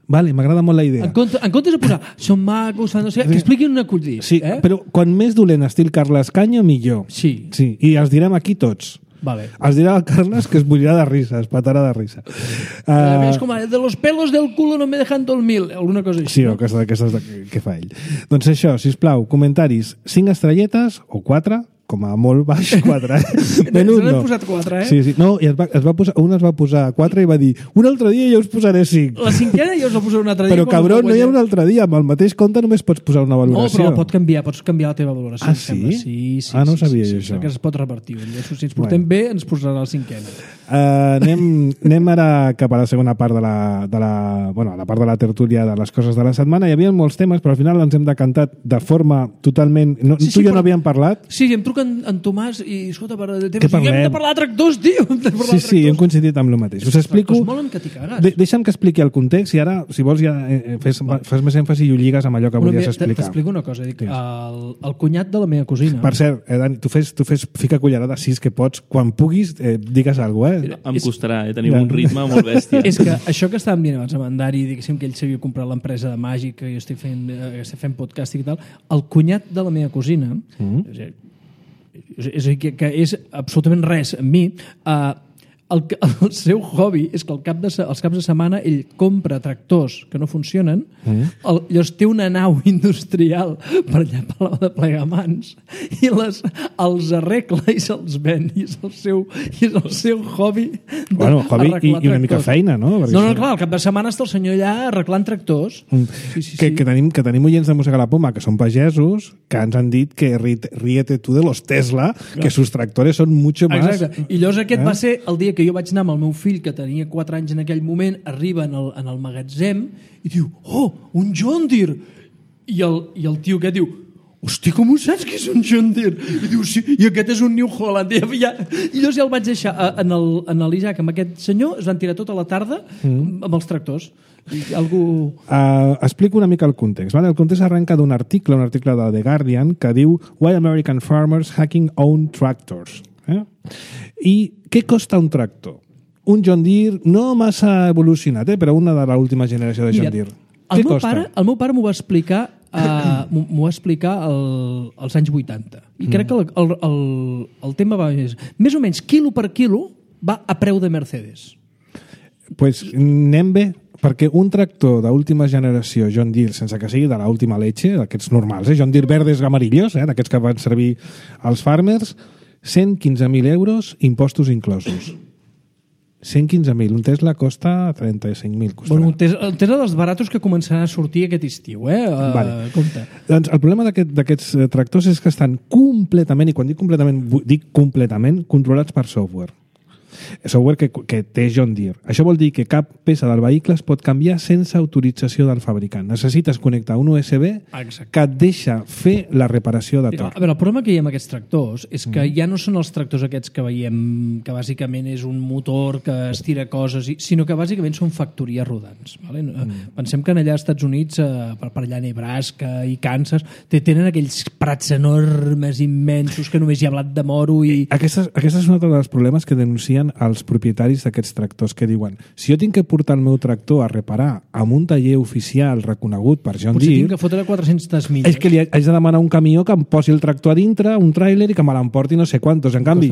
S1: Vale, m'agrada molt la idea.
S2: En comptes de posar són macos, no sé, que expliquin un acudit.
S1: Sí, però quan més dolent estil Carles Canyo, millor.
S2: Sí.
S1: I els direm aquí tots.
S2: Vale.
S1: Els dirà el Carles que es bullirà de risa, es patarà de risa.
S2: És com de los pelos del culo no me dejan dormir, alguna cosa així.
S1: Sí, o aquestes que fa ell. Doncs això, sisplau, comentaris 5 estrelletes o 4, com a molt baix 4.
S2: Menut no. Posat 4,
S1: Sí. No, i un es va posar 4 i va dir un altre dia jo us posaré 5.
S2: La 5a jo us la posaré un altre dia.
S1: Però cabron, no hi ha un altre dia. Amb el mateix compte només pots posar una valoració.
S2: No, però pots canviar la teva valoració.
S1: Sí?
S2: Sí.
S1: No sabia jo això.
S2: Que es pot repartir. Si ens portem bé, ens posarà la 5a.
S1: Anem ara cap a la segona part de la part de la tertúlia de les coses de la setmana. Hi havia molts temes, però al final ens hem decantat de forma totalment... Tu i jo no havíem parlat.
S2: Sí, em truca en Tomàs i, escolta,
S1: què parlem?
S2: Hem de parlar de tractors, tio!
S1: Sí, hem coincidit amb el mateix. Us explico...
S2: Molen que t'hi cagues.
S1: Deixa'm que expliqui el context i ara, si vols, ja fas més èmfasi i ho lligues amb allò que volies explicar.
S2: T'explico una cosa. Dic, el cunyat de la meva cosina...
S1: Per cert, Dani, tu fes fica cullerada 6 que pots. Quan puguis, digues alguna cosa,
S4: Em costarà, tenim un ritme molt bèstia.
S2: És que això que estàvem dient abans amb en Dari, diguéssim que ell s'havia comprat l'empresa de màgic, que jo estic fent podcasting i tal, el cunyat de la meva cosina, és a dir, que és absolutament res amb mi, el seu hobby és que els caps de setmana ell compra tractors que no funcionen, llavors té una nau industrial per allà per la de Plegamans i els arregla i se'ls ven, i és el seu hobby
S1: hobby i una mica feina, no?
S2: No, clar, el cap de setmana està el senyor allà arreglant tractors.
S1: Que tenim oients de Mossega la Poma que són pagesos, que ens han dit que ríete tú de los Tesla, que sus tractores son mucho más...
S2: Exacte, i llavors aquest va ser el dia que jo vaig anar amb el meu fill, que tenia 4 anys en aquell moment, arriba en el magatzem i diu, un John Deere! I el tio aquest diu, hosti, com ho saps que és un John Deere? I diu, sí, i aquest és un New Holland. I llavors ja el vaig deixar en l'Isaac amb aquest senyor, es van tirar tota la tarda amb els tractors.
S1: Explico una mica el context. El context arrenca d'un article de The Guardian que diu Why American Farmers Hacking Own Tractors. I què costa un tractor? Un John Deere no massa evolucionat, però una de l'última generació de John Deere. Què costa?
S2: El meu pare m'ho va explicar als anys 80. I crec que el tema va més o menys quilo per quilo va a preu de Mercedes.
S1: Pues anem bé, perquè un tractor d'última generació John Deere, sense que sigui de l'última leche, d'aquests normals, John Deere verdes amarillos, d'aquests que van servir als farmers, 115.000 euros, impostos inclosos. 115.000. Un Tesla costa 35.000.
S2: Bueno, un Tesla dels baratos que començaran a sortir aquest estiu,
S1: Vale.
S2: Compte.
S1: Doncs el problema d'aquests tractors és que estan completament, i quan dic completament, controlats per software. Software que té John Deere. Això vol dir que cap peça del vehicle es pot canviar sense autorització del fabricant. Necessites connectar un USB que et deixa fer la reparació de tot.
S2: A veure, el problema que hi ha amb aquests tractors és que ja no són els tractors aquests que veiem, que bàsicament és un motor que estira coses, sinó que bàsicament són factories rodants. Vale? Pensem que allà als Estats Units, per allà a Nebraska i Kansas, tenen aquells prats enormes, immensos, que només hi ha blat de moro i...
S1: Aquesta és un altre dels problemes que denuncien als propietaris d'aquests tractors, que diuen, si jo tinc que portar el meu tractor a reparar amb un taller oficial reconegut per John Deere...
S2: Potser tinc que fotre 400 milles.
S1: És que li haig de demanar un camió que em posi el tractor a dintre, un tràiler, i que me l'emporti no sé quantos. En canvi,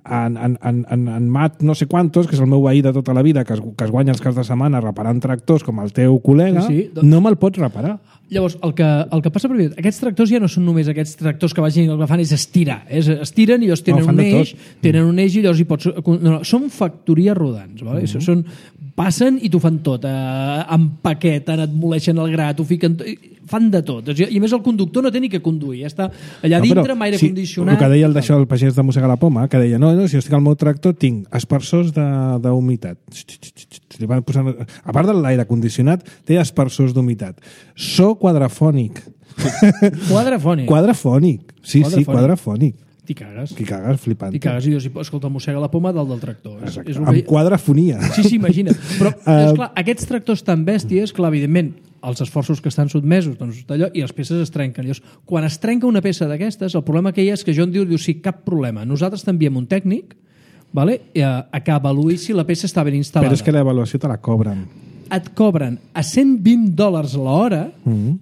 S1: en Matt no sé quantos, que és el meu veí de tota la vida, que es guanya els caps de setmana reparant tractors com el teu col·lega, no me'l pots reparar.
S2: Llavors, el que passa per mi, aquests tractors ja no són només aquests tractors que vagin, el que fan és estirar. Estiren i llavors tenen un eix i llavors hi pots... No, són factories rodants. Vale? Passen i t'ho fan tot. Empaqueten, et moleixen el gra, t'ho fiquen... Fan de tot. I a més el conductor no té ni que conduir. Ja està allà dintre amb aire condicionat.
S1: El que deia el pagès de Mossega la Poma, que deia, no, si jo estic al meu tractor tinc aspersors d'humitat. A part de l'aire condicionat, té aspersors d'humitat. So quadrafònic. Quadrafònic. Sí, quadrafònic.
S2: T'hi cagues.
S1: T'hi cagues, flipant.
S2: T'hi cagues i dius, escolta, mossega la poma dalt del tractor.
S1: Amb quadrafonia.
S2: Sí, imagina. Però, esclar, aquests tractors tan bèsties, clar, evidentment, els esforços que estan sotmesos, doncs d'allò, i les peces es trenquen. Llavors, quan es trenca una peça d'aquestes, el problema que hi ha és que John Deere diu, sí, cap problema. Nosaltres t'enviem un tècnic, vale? Que avaluï si la peça està ben instal·lada.
S1: Però és que l'avaluació te la cobren.
S2: Et cobren a $120 l'hora,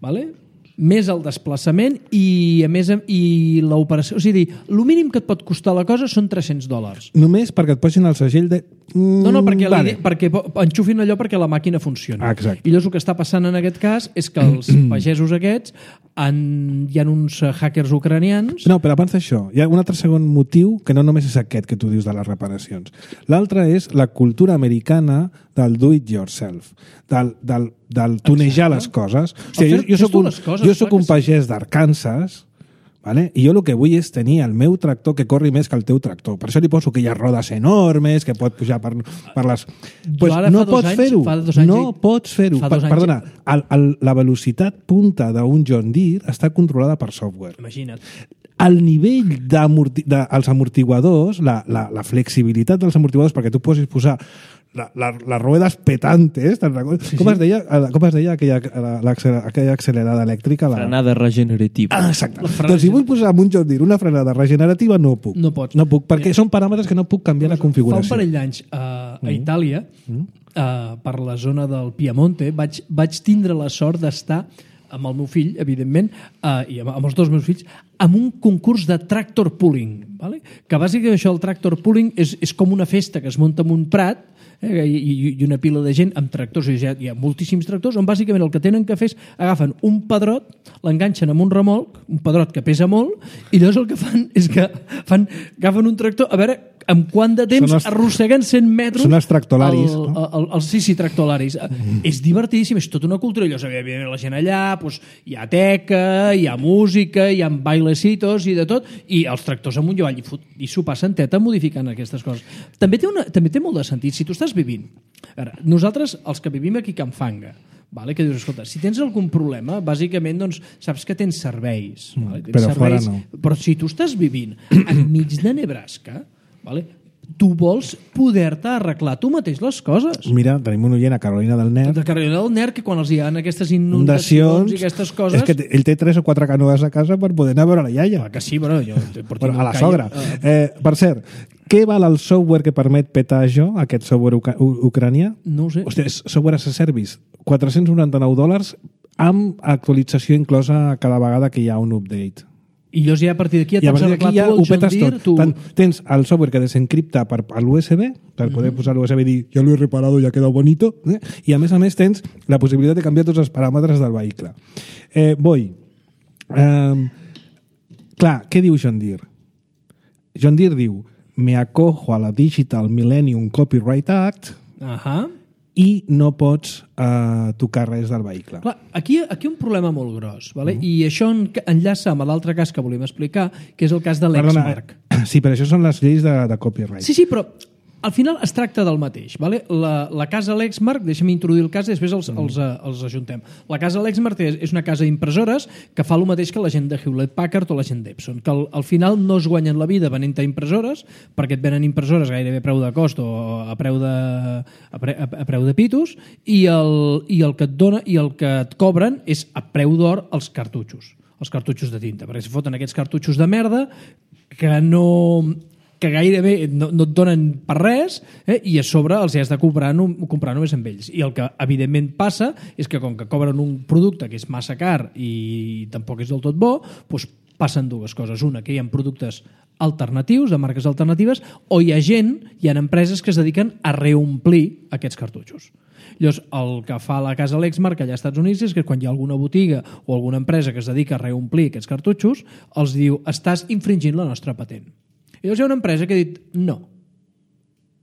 S2: vale? Més el desplaçament i a més i l'operació. O sigui, el mínim que et pot costar la cosa són $300.
S1: Només perquè et posin el segell de
S2: No, perquè enxufin allò perquè la màquina funciona.
S1: Exacte.
S2: I llavors el que està passant en aquest cas és que els pagesos aquests hi ha uns hackers ucranians...
S1: No, però abans d'això, hi ha un altre segon motiu que no només és aquest que tu dius de les reparacions. L'altre és la cultura americana del do-it-yourself, del tunejar les coses. O sigui, jo soc un pagès d'Arkansas, vale? I jo el que vull és tenir el meu tractor que corri més que el teu tractor. Per això li poso aquelles rodes enormes que pot pujar per les... Pues no pots fer-ho. No pots fer-ho. Perdona, la velocitat punta d'un John Deere està controlada per software.
S2: Imagina't.
S1: El nivell dels amortiguadors, la flexibilitat dels amortiguadors, perquè tu posis posar les ruedas petantes, com es deia aquella accelerada elèctrica?
S5: Frenada regenerativa.
S1: Exacte. Doncs si vull posar en un John Deere una frenada regenerativa, no puc.
S2: No pots.
S1: No puc, perquè són paràmetres que no puc canviar la configuració.
S2: Fa un parell d'anys a Itàlia, per la zona del Piemonte, vaig tindre la sort d'estar amb el meu fill, evidentment, i amb els dos meus fills, amb un concurs de tractor pulling. Vale? Que bàsicament això, el tractor pulling, és com una festa que es munta en un prat i una pila de gent amb tractors, hi ha moltíssims tractors, on bàsicament el que tenen que fer és agafen un pedrot, l'enganxen amb un remolc, un pedrot que pesa molt, i llavors el que fan és que agafen un tractor, a veure amb quant de temps arrosseguen 100 metres...
S1: Són els tractolaris.
S2: Sí, tractolaris. És divertidíssim, és tota una cultura. Llavors, evidentment, la gent allà, hi ha teca, hi ha música, hi ha bailecitos i de tot, i els tractors amunt i avall, i s'ho passen teta modificant aquestes coses. També té molt de sentit. Si tu estàs vivint... Nosaltres, els que vivim aquí a Can Fanga, vale? Que dius, escolta, si tens algun problema, bàsicament, doncs, saps que tens serveis. Vale?
S1: Però fora no.
S2: Però si tu estàs vivint enmig de Nebraska, vale? Tu vols poder-te arreglar tu mateix les coses.
S1: Mira, tenim un oient a Carolina del Nord.
S2: De Carolina del Nord, que quan els hi ha aquestes inundacions i aquestes coses...
S1: És que ell té 3 o 4 canoes a casa per poder anar a veure la iaia.
S2: Que sí, però jo...
S1: A la sogra. Per cert, què val el software que permet petar això, aquest software ucranià?
S2: No ho sé.
S1: Hosti, és software as a service. $499 amb actualització inclosa cada vegada que hi ha un update.
S2: I llavors ja a partir d'aquí ja t'has arreglat tu el John Deere.
S1: Tant, tens el software que desencripta a l'USB, per poder posar l'USB i dir ja l'he reparado, ja queda bonito, i a més tens la possibilitat de canviar tots els paràmetres del vehicle. Clar, què diu John Deere? John Deere diu me acojo a la Digital Millennium Copyright Act i no pots tocar res del vehicle.
S2: Clar, aquí un problema molt gros, vale? I això enllaça amb l'altre cas que volíem explicar, que és el cas de l'Exmark.
S1: Sí, però això són les lleis de copyright.
S2: Sí, però al final es tracta del mateix. Vale? La casa Lexmark, deixa'm introduir el cas i després els ajuntem. La casa Lexmark és una casa d'impressores que fa el mateix que la gent de Hewlett-Packard o la gent d'Epson, que al final no es guanyen la vida venent-te impressores, perquè et venen impressores gairebé a preu de cost o a preu de pitos, i el que et dona i el que et cobren és a preu d'or els cartutxos de tinta, perquè si foten aquests cartutxos de merda que gairebé no et donen per res, i a sobre els has de comprar només amb ells. I el que evidentment passa és que com que cobren un producte que és massa car i tampoc és del tot bo, doncs passen dues coses. Una, que hi ha productes alternatius, de marques alternatives, o hi ha empreses que es dediquen a reomplir aquests cartutxos. Llavors, el que fa la casa Lexmark allà als Estats Units és que quan hi ha alguna botiga o alguna empresa que es dedica a reomplir aquests cartutxos, els diu, estàs infringint la nostra patent. I llavors hi ha una empresa que ha dit no.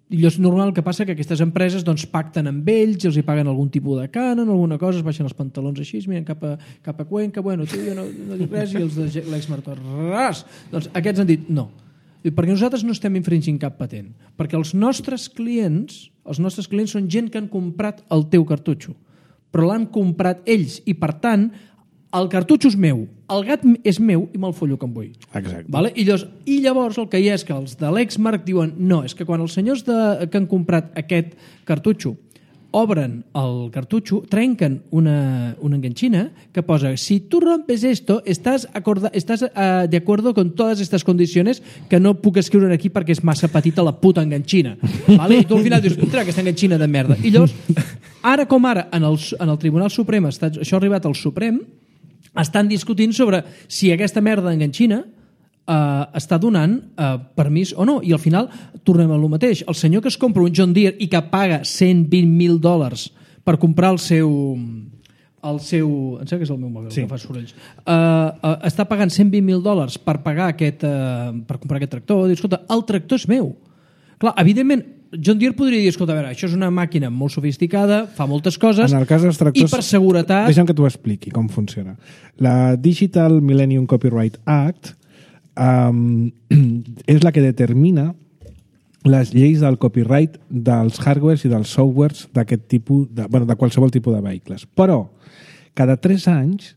S2: I llavors normal el que passa que aquestes empreses doncs, pacten amb ells, els hi paguen algun tipus de cànon, alguna cosa, es baixen els pantalons així, es miren cap a Cuenca, bueno, tu jo no dic res, i els de l'Exmark, ras! Doncs aquests han dit no. Perquè nosaltres no estem infringint cap patent. Perquè els nostres clients són gent que han comprat el teu cartutxo, però l'han comprat ells i, per tant, el cartutxo és meu, el gat és meu i me'l follo com vull.
S1: Exacte.
S2: Vale? I llavors el que hi ha és que els de l'Exmark diuen no, és que quan els senyors que han comprat aquest cartutxo obren el cartutxo, trenquen una enganxina que posa si tu rompes esto, estás de acuerdo con todas estas condiciones que no puc escriure aquí perquè és massa petita la puta enganxina. Vale? I tu al final dius, aquesta enganxina de merda. I llavors, ara com ara, en el Tribunal Suprem, això ha arribat al Suprem, estan discutint sobre si aquesta merda d'enganxina està donant permís o no. I al final tornem a lo mateix. El senyor que es compra un John Deere i que paga $120,000 per comprar el seu... Em sembla que és el meu mòbil, que fa sorolls. Està pagant $120,000 per pagar per comprar aquest tractor. Diu, escolta, el tractor és meu. Clar, evidentment, John Deere podria dir, escolta, a veure, això és una màquina molt sofisticada, fa moltes coses,
S1: en el cas dels tractors,
S2: i per seguretat...
S1: Deixa'm que t'ho expliqui com funciona. La Digital Millennium Copyright Act és la que determina les lleis del copyright dels hardwares i dels softwares d'aquest tipus, de qualsevol tipus de vehicles. Però, cada 3 anys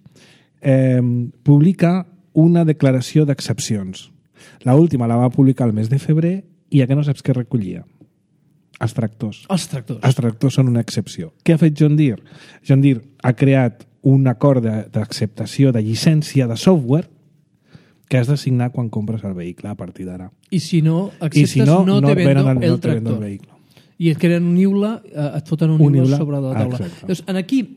S1: publica una declaració d'excepcions. L'última la va publicar el mes de febrer i que no saps què recollia. Els tractors.
S2: Els tractors.
S1: Els tractors són una excepció. Què ha fet John Deere? John Deere ha creat un acord d'acceptació de llicència de software que has de signar quan compres el vehicle a partir d'ara.
S2: I si no acceptes, no te vendo el tractor. I et creen un IULA, et foten un IULA sobre la taula. Llavors, aquí,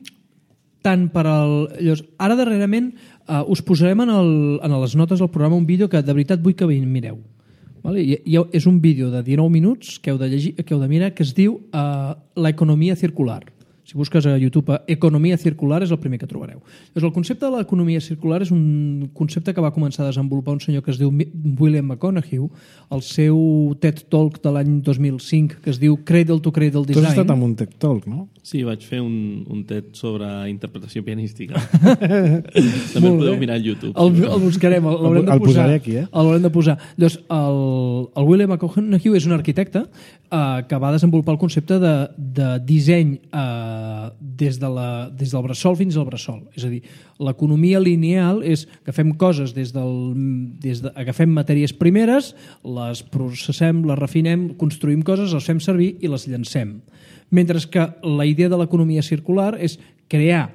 S2: tant per al... Llavors, ara darrerament us posarem en les notes del programa un vídeo que de veritat vull que mireu. Vale? És un vídeo de 19 minuts que heu de mirar, que es diu l'economia circular. Si busques a YouTube economia circular és el primer que trobareu. Doncs el concepte de l'economia circular és un concepte que va començar a desenvolupar un senyor que es diu William McConaughey, el seu TED Talk de l'any 2005 que es diu Cradle to Cradle Design.
S1: Tu has estat amb un TED Talk, no?
S4: Sí, vaig fer un TED sobre interpretació pianística. També el podeu mirar al YouTube.
S2: El buscarem, l'haurem de posar.
S1: El posaré aquí,
S2: L'haurem de posar. Doncs el William McConaughey és un arquitecte que va desenvolupar el concepte de disseny des del bressol fins al bressol. És a dir, l'economia lineal és que agafem coses agafem matèries primeres, les processem, les refinem, construïm coses, les fem servir i les llancem. Mentre que la idea de l'economia circular és crear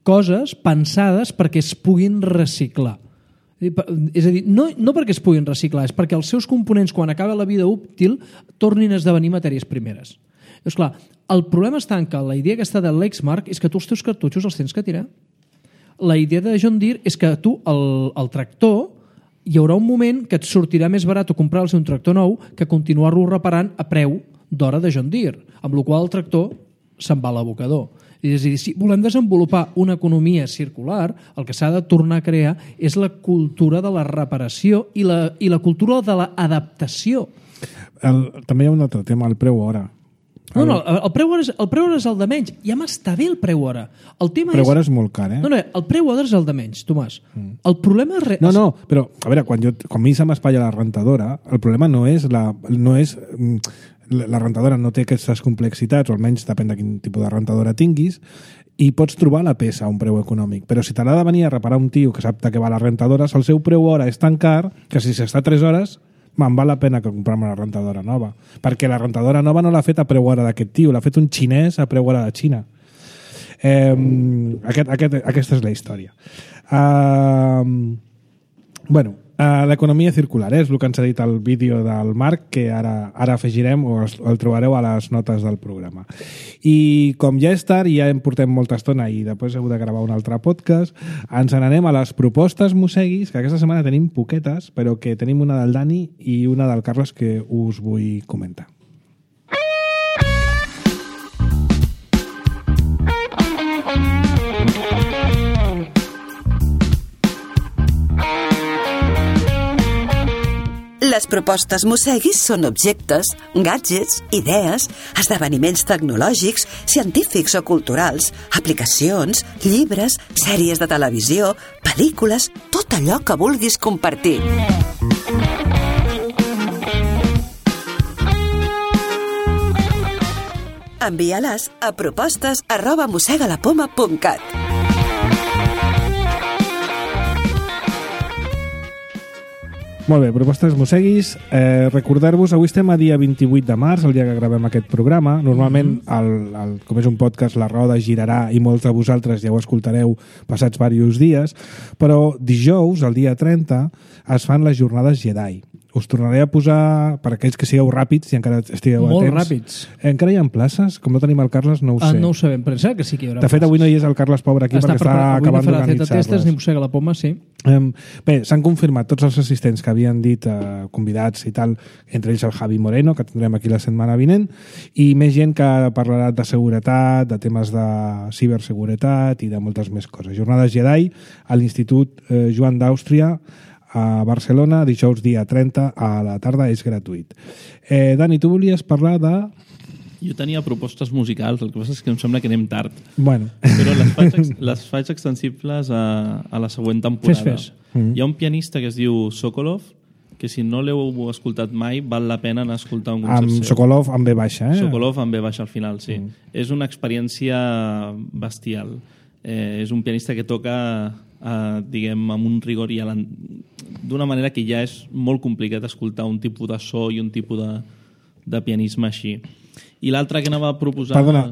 S2: coses pensades perquè es puguin reciclar. És a dir, no perquè es puguin reciclar, és perquè els seus components, quan acaba la vida útil, tornin a esdevenir matèries primeres. Doncs clar, el problema està en que la idea aquesta de Lexmark és que tu els teus cartutxos els tens que tirar. La idea de John Deere és que tu, el tractor, hi haurà un moment que et sortirà més barat o comprar-los un tractor nou que continuar-lo reparant a preu d'hora de John Deere, amb la qual el tractor se'n va a l'abocador. És a dir, si volem desenvolupar una economia circular, el que s'ha de tornar a crear és la cultura de la reparació i la cultura de l'adaptació.
S1: També hi ha un altre tema, el preu hora.
S2: No, el preu hora és el de menys. Ja m'està bé el preu hora. El preu
S1: hora és molt car, eh?
S2: No, el preu hora és el de menys, Tomàs. El problema és...
S1: No, però, a veure, quan a mi se m'espatlla la rentadora, el problema no és la rentadora no té aquestes complexitats, o almenys depèn de quin tipus de rentadora tinguis, i pots trobar la peça a un preu econòmic. Però si te l'ha de venir a reparar un tio que sap de què va la rentadora, el seu preu hora és tan car que si s'està 3 hores me'n val la pena que comprar-me una rentadora nova. Perquè la rentadora nova no l'ha fet a preu hora d'aquest tio, l'ha fet un xinès a preu hora de Xina. Aquesta és la història. L'economia circular és el que ens ha dit el vídeo del Marc, que ara afegirem o el trobareu a les notes del programa. I com ja és tard i ja portem molta estona i després heu de gravar un altre podcast, ens n'anem a les propostes mosseguis, que aquesta setmana tenim poquetes, però que tenim una del Dani i una del Carles que us vull comentar.
S3: Les propostes mosseguis són objectes, gadgets, idees, esdeveniments tecnològics, científics o culturals, aplicacions, llibres, sèries de televisió, pel·lícules, tot allò que vulguis compartir. Envia-les a propostes@mossegalapoma.cat.
S1: Molt bé, propostes mosseguis. Recordar-vos, avui estem a dia 28 de març, el dia que gravem aquest programa. Normalment, com és un podcast, la roda girarà i molts de vosaltres ja ho escoltareu passats diversos dies, però dijous, el dia 30, es fan les jornades Jedi. us tornaré a posar, per aquells que sigueu ràpids, si encara estigueu a temps.
S2: Molt ràpids.
S1: Encara hi ha places? Com no tenim el Carles, no ho sé.
S2: No ho sabem, però sembla que sí que hi haurà
S1: De fet, avui no hi és el Carles Pobre aquí perquè està acabant d'organitzar-les.
S2: Avui ni mossega la poma, sí.
S1: Bé, s'han confirmat tots els assistents que havien dit convidats i tal, entre ells el Javi Moreno, que tindrem aquí la setmana vinent, i més gent que parlarà de seguretat, de temes de ciberseguretat i de moltes més coses. Jornades Jedi a l'Institut Joan d'Àustria a Barcelona, dijous dia 30 a la tarda, és gratuït. Dani, tu volies parlar de...
S4: Jo tenia propostes musicals, el que passa és que em sembla que anem tard.
S1: Bueno.
S4: Però les faig extensibles a la següent temporada.
S2: Fes.
S4: Hi ha un pianista que es diu Sokolov, que si no l'heu escoltat mai, val la pena anar a escoltar un concert seu.
S1: Sokolov amb B baixa,
S4: Sokolov amb B baixa al final, sí. És una experiència bestial. És un pianista que toca diguem, amb un rigor i d'una manera que ja és molt complicat escoltar un tipus de so i un tipus de pianisme així. I l'altre que anava a proposar...
S1: Perdona,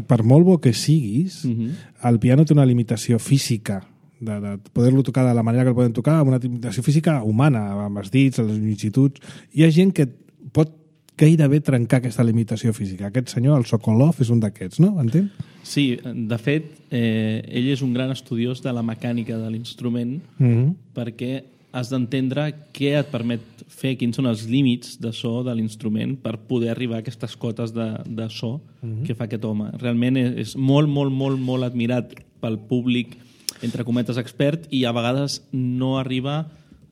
S1: per molt bo que siguis, el piano té una limitació física de poder-lo tocar de la manera que el poden tocar, amb una limitació física humana, amb els dits, les longituds. Hi ha gent que pot gairebé trencar aquesta limitació física. Aquest senyor, el Sokolov, és un d'aquests, no? Entén?
S4: Sí, de fet, ell és un gran estudiós de la mecànica de l'instrument perquè has d'entendre què et permet fer, quins són els límits de so de l'instrument per poder arribar a aquestes cotes de so que fa aquest home. Realment és molt, molt, molt, molt admirat pel públic, entre cometes, expert, i a vegades no arriba...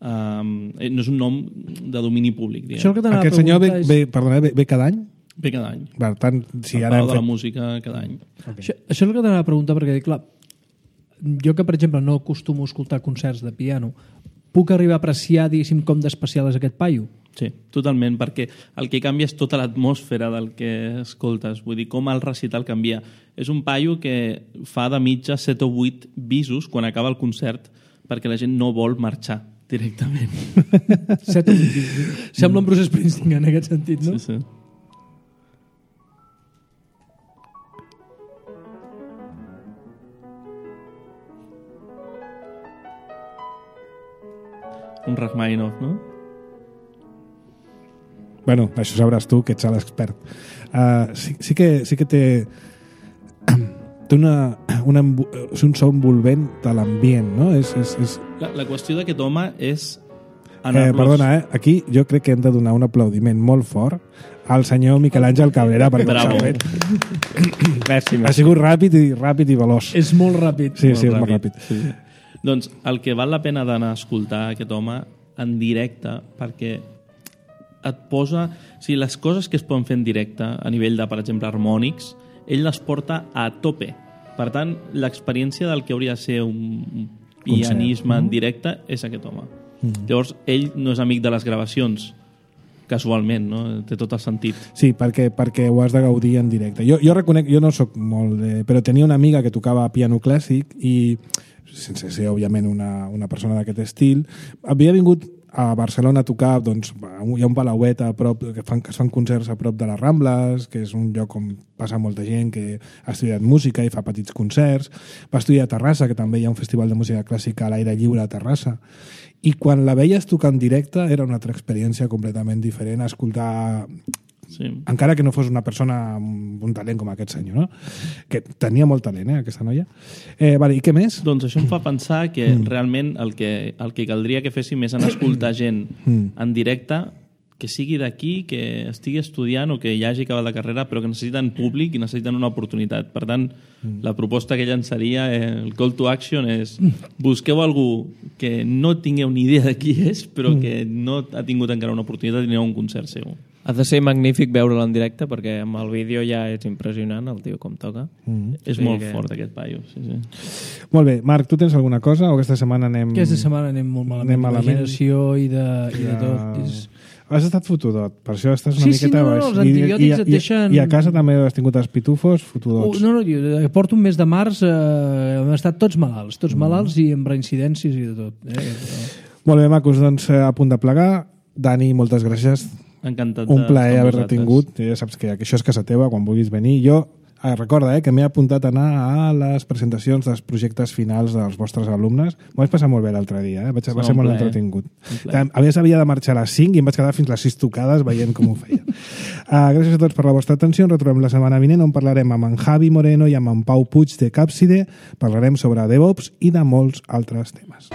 S4: no és un nom de domini públic.
S1: Aquest senyor ve cada any?
S4: Ve cada any.
S1: Per tant, si
S4: ara de la música cada any.
S2: Okay. Això és el que t'anava a preguntar, perquè clar, jo que, per exemple, no acostumo a escoltar concerts de piano, puc arribar a apreciar, diguéssim, com d'especial és aquest paio?
S4: Sí, totalment, perquè el que canvia és tota l'atmosfera del que escoltes, vull dir, com el recital canvia. És un paio que fa de mitja 7 o 8 bisos quan acaba el concert perquè la gent no vol marxar directament.
S2: 7 o 8 bisos. Sembla un Bruce Springsteen en aquest sentit, no?
S4: Sí, sí. Un Rachmaninoff, no?
S1: Bueno, això sabràs tu, que ets l'expert. Sí que té un so envolvent de l'ambient, no?
S4: La qüestió d'aquest home és...
S1: Perdona, aquí jo crec que hem de donar un aplaudiment molt fort al senyor Miquel Àngel Cabrera perquè ho s'ha fet.
S4: Gràcies.
S1: Ha sigut ràpid i veloç.
S2: És molt ràpid.
S1: Sí, és molt ràpid.
S4: Sí. Doncs el que val la pena d'anar a escoltar aquest home en directe, perquè et posa... O sigui, les coses que es poden fer en directe, a nivell de, per exemple, harmònics, ell les porta a tope. Per tant, l'experiència del que hauria de ser un pianisme en directe és aquest home. Llavors, ell no és amic de les gravacions, casualment, no? Té tot el sentit.
S1: Sí, perquè ho has de gaudir en directe. Jo reconec, jo no sóc molt però tenia una amiga que tocava piano clàssic i, sense ser, òbviament, una persona d'aquest estil, havia vingut a Barcelona a tocar, doncs, hi ha un palauet a prop, que es fan concerts a prop de les Rambles, que és un lloc on passa molta gent que ha estudiat música i fa petits concerts. Va estudiar a Terrassa, que també hi ha un festival de música clàssica a l'aire lliure a Terrassa. I quan la veies tocar en directe era una altra experiència completament diferent a escoltar... Sí. Encara que no fos una persona amb un talent com aquest senyor, no? Que tenia molt talent, aquesta noia. Vale, i què més?
S4: Doncs això em fa pensar que realment el que caldria que féssim és anar a escoltar gent en directe que sigui d'aquí, que estigui estudiant o que ja hagi acabat la carrera, però que necessiten públic i necessiten una oportunitat. Per tant, la proposta que llançaria, el call to action és busqueu algú que no tingueu ni idea de qui és, però que no ha tingut encara una oportunitat i aneu a un concert seu.
S5: Ha de ser magnífic veure'l en directe perquè amb el vídeo ja és impressionant el tio com toca.
S4: És molt fort aquest paio. Sí.
S1: Molt bé, Marc, tu tens alguna cosa o aquesta setmana anem...
S2: Aquesta setmana anem molt malament. D'imaginació i de tot.
S1: Has estat fotudot, per això estàs una miqueta baix.
S2: Els antibiòtics et deixen...
S1: I a casa també has tingut els pitufos fotudots.
S2: No, jo porto un mes de març, hem estat tots malalts i amb reincidències i de tot.
S1: Molt bé, macos, doncs a punt de plegar. Dani, moltes gràcies.
S4: Encantat.
S1: Un plaer haver-te tingut. Ja saps que això és casa teva, quan vulguis venir. Jo Recorda que m'he apuntat a anar a les presentacions dels projectes finals dels vostres alumnes. M'ho vaig passar molt bé l'altre dia, va ser molt entretingut. A més, havia de marxar a les 5 i em vaig quedar fins les 6 tocades veient com ho feia. Gràcies a tots per la vostra atenció. Ens retrobem la setmana vinent on parlarem amb en Javi Moreno i amb en Pau Puig de Capside. Parlarem sobre DevOps i de molts altres temes.